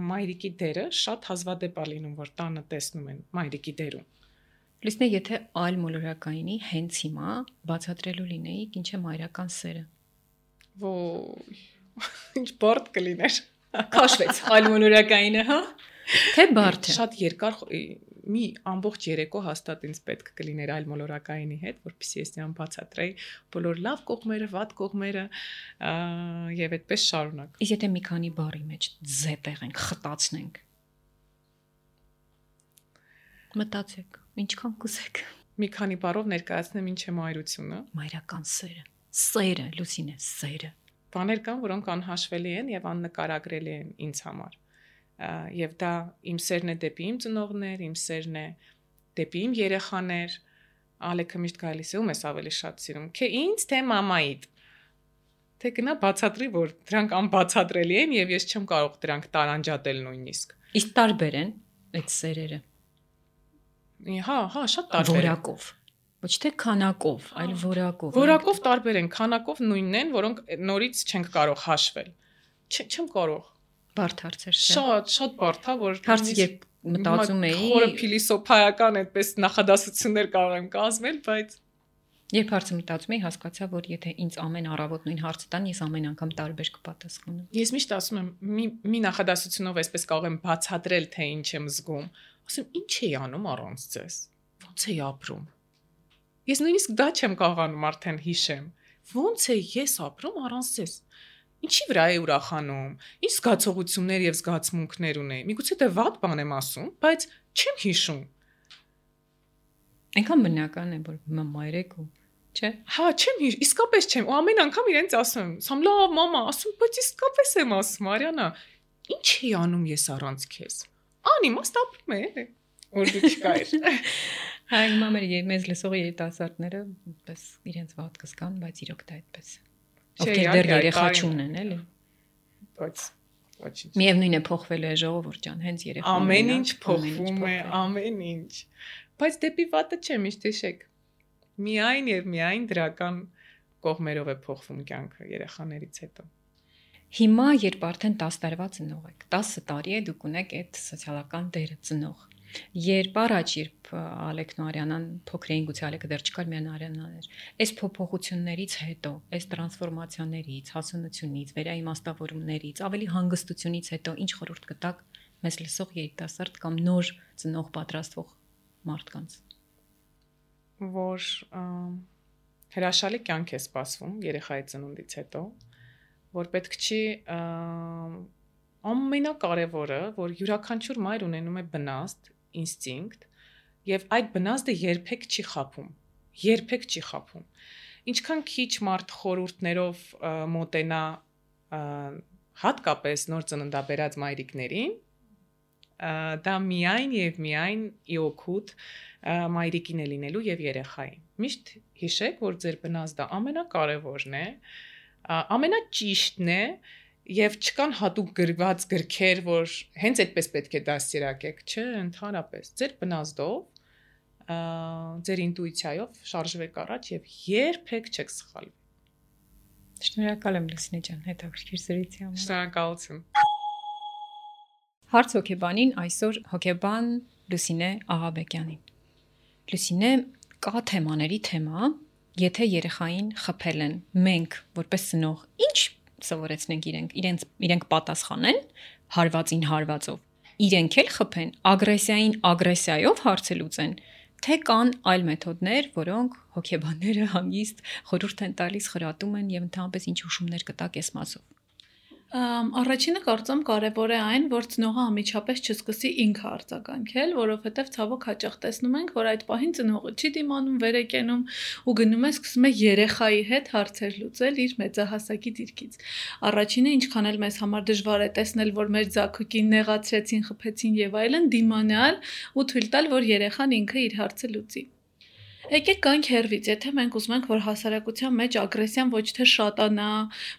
մայրիկի դերը շատ հազվադեպ է լինում, որ տանը տեսնում են մայրիկի դերում։ Լուսինե, եթե այլ մոլորակայինի հենց հիմա բացատրելու լինեիք, ինչ է մայրական սերը։ Ոյ ինչ բարդ կլիներ։ Քաշվեց այլ մոլորակայինը, հա։ Թե բարդ է։ Շատ երկար մի ամբողջ երեկո հաստատ ինձ պետք կլիներ այլ մոլորակայինի հետ, որպեսզի ես նրան բացատրեի բոլոր լավ կողմերը, վատ կողմերը եւ այդպես շարունակ։ Իսկ եթե մի քանի բառի մեջ զետեղ ենք, խտացնենք։ Մտածեք, ինչքան կուզեք։ Մի քանի բառով ներկայացնեմ ինչ է մայրությունը։ Մայրական սերը։ Սերը, Լուսինե, սերը։ Բաներ կան, որոնք անհաշվելի են եւ աննկարագրելի են ինձ համար։ Եվ դա իմ սերն է դեպի իմ ծնողներ, իմ սերն է դեպի իմ երեխաներ։ Ալեքը միշտ գալիս է, ում ես ավելի շատ սիրում։ Թե ինձ, թե մամայիդ։ Թե գնա բացատրի, որ դրանք անբացատրելի են եւ ես չեմ կարող դրանք տարանջատել նույնիսկ։ Իսկ տարբեր են այդ սերերը։ Հա, շատ տարբեր։ Որակով։ Ոչ թե քանակով, այլ որակով։ Որակով տարբեր են, քանակով նույնն են, որոնք նորից չենք կարող հաշվել։ Չեմ կարող։ Բարդ հարցեր չէ։ Շատ բարդ է, որ հարցը երբ մտածում էի, խորը փիլիսոփայական այդպես նախադասություններ կարող եմ կազմել, բայց երբ հարցը մտածում էի, հասկացա, որ եթե ինձ ամեն առավոտ նույն հարցը տան, ես ամեն անգամ տարբեր կպատասխանեմ։ Ես միշտ ասում եմ, մի նախադասությունով այսպես կարող եմ բացատրել, թե ինչ եմ զգում։ Ասում, ինչ էի անում առանց ձեզ։ Ոնց էի ապրում։ Ես նույնիսկ դա չեմ կարողանում արդեն հիշեմ։ Ոնց է ես ապրում առանց ձեզ։ Ինչի վրա է ուրախանում։ Ինչ զգացողություններ եւ զգացմունքներ ունեի։ Միգուցե դե վատ բան եմ ասում, բայց չեմ հիշում։ Այնքան բնական է, որ մայրեք ու չէ։ Հա, չեմ հիշ, իսկապես չեմ։ Ու ամեն անգամ իրենց ասում եմ, «Սամ լավ, մամա», ասում, բայց իսկապես եմ ասում, Մարիանա, ինչ էի անում ես առանց քեզ։ Անիմաստ ապրում է, որ դու չկայր։ Հա, հիմա մեզ լսող երիտասարդները այդպես իրենց վատ կզգան, բայց իրոք դա այդպես է։ Ովքեր դեռ երեխա չունեն, էլի։ Բայց ոչինչ։ Միևնույն է փոխվել է ժողովուրդ ջան, հենց երեխա։ Ամեն ինչ փոխվում է, ամեն ինչ։ Բայց դեպի վատը չէ, միշտ հիշեք։ Միայն եւ միայն դրական կողմերով է փոխվում կյանքը երեխաներից հետո։ Հիմա երբ արդեն 10 տարվա ծնող եք, 10 տարի է դուք ունեք այդ սոցիալական դերը ծնող։ Երբ առաջ Ալեքն ու Արիանան փոքր էին, գուցե Ալեքը դեռ չկար, միայն Արիանան էր։ Այս փոփոխություններից հետո, այս տրանսֆորմացիաներից, հասունությունից, վերաիմաստավորումներից, ավելի հանգստությունից հետո ինչ խորհուրդ կտաք մեզ լսող երիտասարդ կամ նոր ծնող պատրաստվող մարդկանց։ Որ հրաշալի կյանք է սպասվում երեխայի ծնունդից հետո, որ պետք չի ամենակարևորը, որ յուրաքանչյուր մայր ունենում է բնազդ, ինստինկտ, եւ այդ բնազդը երբեք չի խաբում։ ինչքան քիչ մարդ խորհուրդներով մոտենա հատկապես նոր ծննդաբերած մայրիկներին, դա միայն եւ միայն իօգուտ մայրիկին է լինելու եւ երեխային։ Միշտ հիշեք, որ ձեր բնազդը ամենակարևորն է, ամենաճիշտն է եւ չկան հատուկ գրված գրքեր, որ հենց այդպես պետք է դաստիարակեք, չէ, ընդհանրապես ձեր բնազդով, ձեր ինտուիցիայով շարժվեք առաջ եւ երբեք չեք սխալվի։ Շնորհակալ եմ Լուսինե ջան, հետաքրքիր զրույցի համար։ Շնորհակալություն։ Հարց հոգեբանին այսօր հոգեբան Լուսինե Աղաբեկյանին։ Լուսինե, կա թեմաների թեմա, եթե երեխային խփել են, մենք որպես ծնող ինչ սովորեցնենք իրենք պատասխանեն հարվածին հարվածով, իրենք էլ խփեն, ագրեսիային ագրեսիայով հարցը լուծեն, թե կան այլ մեթոդներ, որոնք հոգեբանները հանգիստ խորհուրդ են տալիս, խրատում են եւ ընդհանրապես ինչ հուշումներ կտակ այս մասով։ Առաջինը կարծում կարևոր է այն, որ ծնողը անմիջապես չսկսի ինքը արձագանքել, որովհետև ցավոք հաճախ տեսնում ենք, որ այդ պահին ծնողը չի դիմանում, վեր է կենում ու գնում է սկսում է երեխայի հետ հարցեր լուծել իր մեծահասակի դիրքից։ Առաջինը, ինչքան էլ մեզ համար դժվար է տեսնել, որ մեր ձագուկին նեղացրեցին, խփեցին եւ այլն, դիմանալ ու թույլ տալ, որ երեխան ինքը իր հարցը լուծի։ Եկեք գանք հերվից, եթե մենք ուզում ենք, որ հասարակության մեջ ագրեսիան ոչ թե շատանա,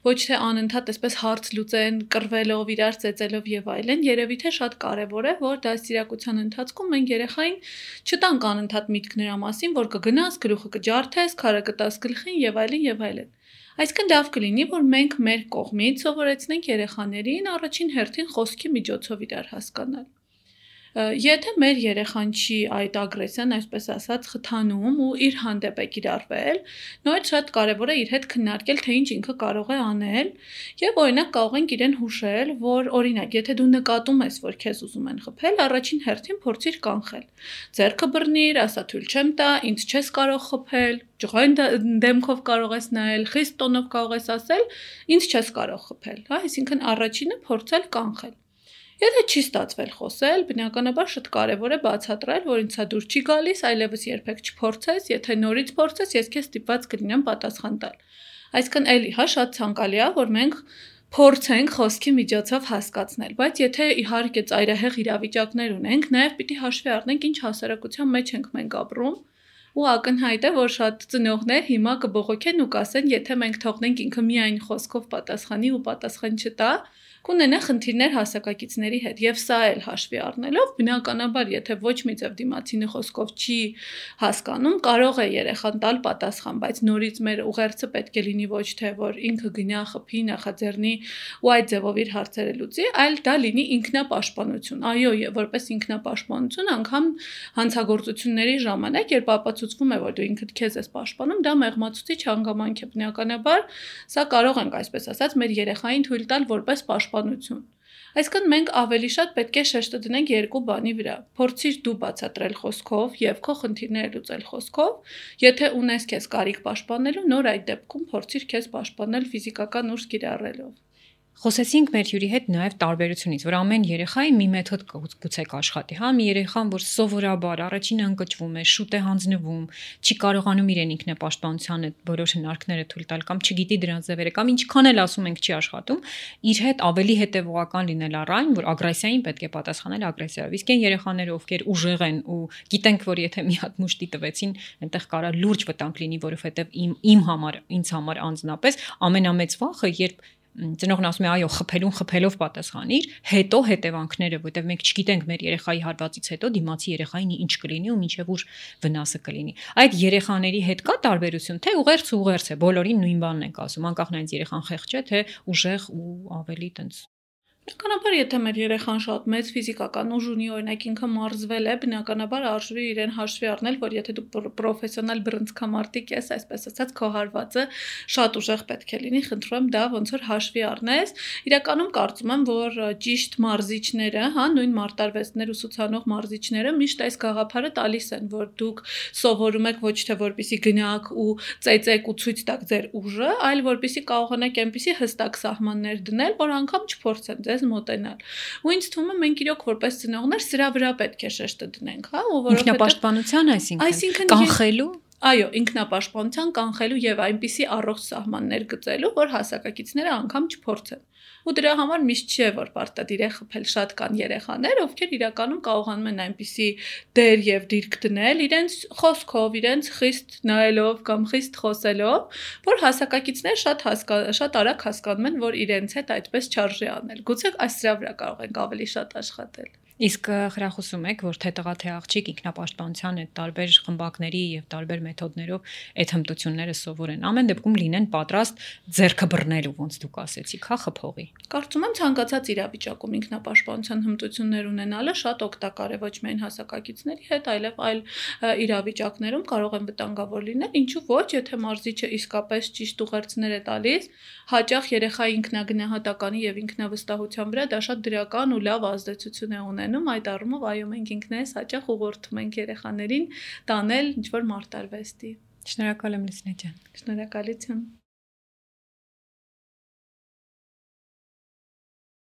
ոչ թե անընդհատ այսպես հարց լուծեն, կռվելով, իրար ծեծելով եւ այլն, երևի թե շատ կարեւոր է, որ դաստիարակության ընթացքում մենք երեխային չտանք անընդհատ միտք նրա մասին, որ կգնաս, գլուխը կջարդես, քարը կտաս գլխին եւ այլն եւ այլն։ Այսինքն լավ կլինի, որ մենք մեր կողմից սովորեցնենք երեխաներին առաջին հերթին խոսքի միջոցով իրար հասկանալ։ Եթե մեր երեխան չի այդ ագրեսիան, այսպես ասած, խթանում ու իր հանդեպ է կիրառվել, նույնիսկ շատ կարևոր է իր հետ քննարկել, թե ինչ ինքը կարող է անել, եւ օրինակ կարող ենք իրեն հուշել, որ օրինակ, եթե դու նկատում ես, որ քեզ ուզում են խփել, առաջին հերթին փորձիր կանխել։ Ձեռքը բռնիր, ասա թույլ չեմ տա, ինձ չես կարող խփել, ջղային դեմքով կարող ես նայել, խիստ տոնով կարող ես ասել, ինձ չես կարող խփել, հա, այսինքն առաջինը փորձել կանխել։ Եթե չի ստացվել խոսել, բնականաբար շատ կարևոր է բացատրել, որ ինձ դուր չի գալիս, այլևս երբեք չփորձես, եթե նորից փորձես, ես քեզ ստիպված կլինեմ պատասխան տալ։ Այսինքն էլի, հա, շատ ցանկալի է, որ մենք փորձենք խոսքի միջոցով հասկացնել, բայց եթե իհարկե ծայրահեղ իրավիճակներ ունենք, նաև պիտի հաշվի առնենք, ինչ հասարակության մեջ ենք մենք ապրում, ու ակնհայտ է, որ շատ ծնողներ հիմա կբողոքեն ու կասեն, եթե մենք թողնենք ինքը միայն խոսքով պատասխանի ու պատասխան չտա, կունենա խնդիրներ հասակակիցների հետ եւ սա էլ հաշվի առնելով բնականաբար եթե ոչ մի ձև դիմացինը խոսքով չի հասկանում կարող է երեխան տալ պատասխան բայց նորից մեր ուղերձը պետք է լինի ոչ թե որ ինքը գնա խփի նախաձեռնի ու այդ ձևով իր հարցերը լուծի այլ դա լինի ինքնապաշտպանություն այո որպես ինքնապաշտպանություն անգամ հանցագործությունների ժամանակ երբ ապացուցվում է որ դու ինքդ քեզ ես պաշտպանում դա մեղմացուցիչ հանգամանք է բնականաբար սա կարող ենք այսպես ասած մեր երեխային թույլ տալ որպես պաշտպանություն Այսինքն մենք ավելի շատ պետք է շեշտը դնենք երկու բանի վրա։ Փորձիր դու բացատրել խոսքով եւ քո խնդիրները լուծել խոսքով, եթե ունես քեզ կարիք պաշտպանելու, նոր այդ դեպքում փորձիր քեզ պաշտպանել ֆիզիկական ուժ կիրառելով։ Խոսեցինք մեր հյուրի հետ նաև տարբերությունից, որ ամեն երեխայի մի մեթոդ գուցե կաշխատի, հա, մի երեխան, որ սովորաբար առաջինը ընկճվում է, շուտ է հանձնվում, չի կարողանում իրեն ինքնապաշտպանության որոշ հնարքները թույլ տալ կամ չգիտի դրանց ձևերը կամ ինչքան էլ ասում ենք չի աշխատում, իր հետ ավելի հետևողական լինել առայն, որ ագրեսիային պետք է պատասխանել ագրեսիայով։ Իսկ այն երեխաները, ովքեր ուժեղ են ու գիտենք, որ եթե մի հատ մուշտի տվեցին, այնտեղ կարա լուրջ վտանգ լինի, որովհետև իմ համար, ինձ համար անձնապես ամենամեծ վախը, երբ Ծնողն ասում է այո խփելով պատասխանիր հետո հետևանքները որտեղ մենք չգիտենք մեր երեխայի հարվածից հետո դիմացի երեխային ինչ կլինի ու ինչև ուր վնասը կլինի այդ երեխաների հետ կա տարբերություն թե ուղերձ է բոլորին նույն բանն ենք ասում անկախ նայած երեխան խեղճ է թե ուժեղ ու ավելի տենց Բնականաբար, եթե մեր երեխան շատ մեծ ֆիզիկական ուժ ունի, օրինակ ինքը մարզվել է, բնականաբար արժի իրեն հաշվի առնել, որ եթե դու պրոֆեսիոնալ բռնցքամարտիկ ես, այսպես ասած, քո հարվածը շատ ուժեղ պետք է լինի, խնդրում եմ դա ոնց որ հաշվի առնես։ Իրականում կարծում եմ, որ ճիշտ մարզիչները, հա, նույն մարտարվեստներ ուսուցանող մարզիչները միշտ այս գաղափարը տալիս են, որ դուք սովորում եք ոչ թե որպեսի գնաք ու ծեծեք ու ցույց տաք ձեր ուժը, այլ որպեսի կարողանաք այնպեսի հստակ սահմաններ դնել, որ անգամ չփորձեն ձեզ մոտենալ։ Ու ինձ թվում է մենք իրոք որպես ծնողներ սրա վրա պետք է շեշտը դնենք, հա, ու որովհետեւ ինքնապաշտպանության, այսինքն կանխելու այո, ինքնապաշտպանության կանխելու եւ այնպիսի առողջ սահմաններ գծելու, որ հասակակիցները անգամ չփորձեն։ Ու դրա համար միշտ չէ, որ պարտադիր է խփել, շատ կան երեխաներ, ովքեր իրականում կարողանում են այնպիսի դեր եւ դիրք դնել իրենց խոսքով, իրենց խիստ նայելով կամ խիստ խոսելով, որ հասակակիցները շատ արագ հասկանում են, որ իրենց հետ այդպես չարժե անել։ Գուցե այս դրա վրա կարող ենք ավելի շատ աշխատել։ Իսկ խրախուսում եք, որ թե տղա թե աղջիկ ինքնապաշտպանության այդ տարբեր խմբակների եւ տարբեր մեթոդներով այդ հմտությունները սովորեն։ Ամեն դեպքում լինեն պատրաստ ձեռքը բռնելու, ոնց դուք ասեցիք, հա, խփողի։ Կարծում եմ ցանկացած իրավիճակում ինքնապաշտպանության հմտություններ ունենալը շատ օգտակար է ոչ միայն հասակակիցների հետ, այլև այլ իրավիճակներում կարող են վտանգավոր լինել, ինչու ոչ, եթե մարզիչը իսկապես ճիշտ ուղերձներ է տալիս, հաճախ երեխայի ինքնագնահատականի եւ ինքնավստահության վրա դա շատ դրական ու լավ ազդեցություն է ունենում, այդ առումով այո մենք ինքներս հաճախ ուղղորդում ենք երեխաներին տանել ինչ-որ մարտարվեստի։ Շնորհակալ եմ Լուսինե ջան։ Շնորհակալություն։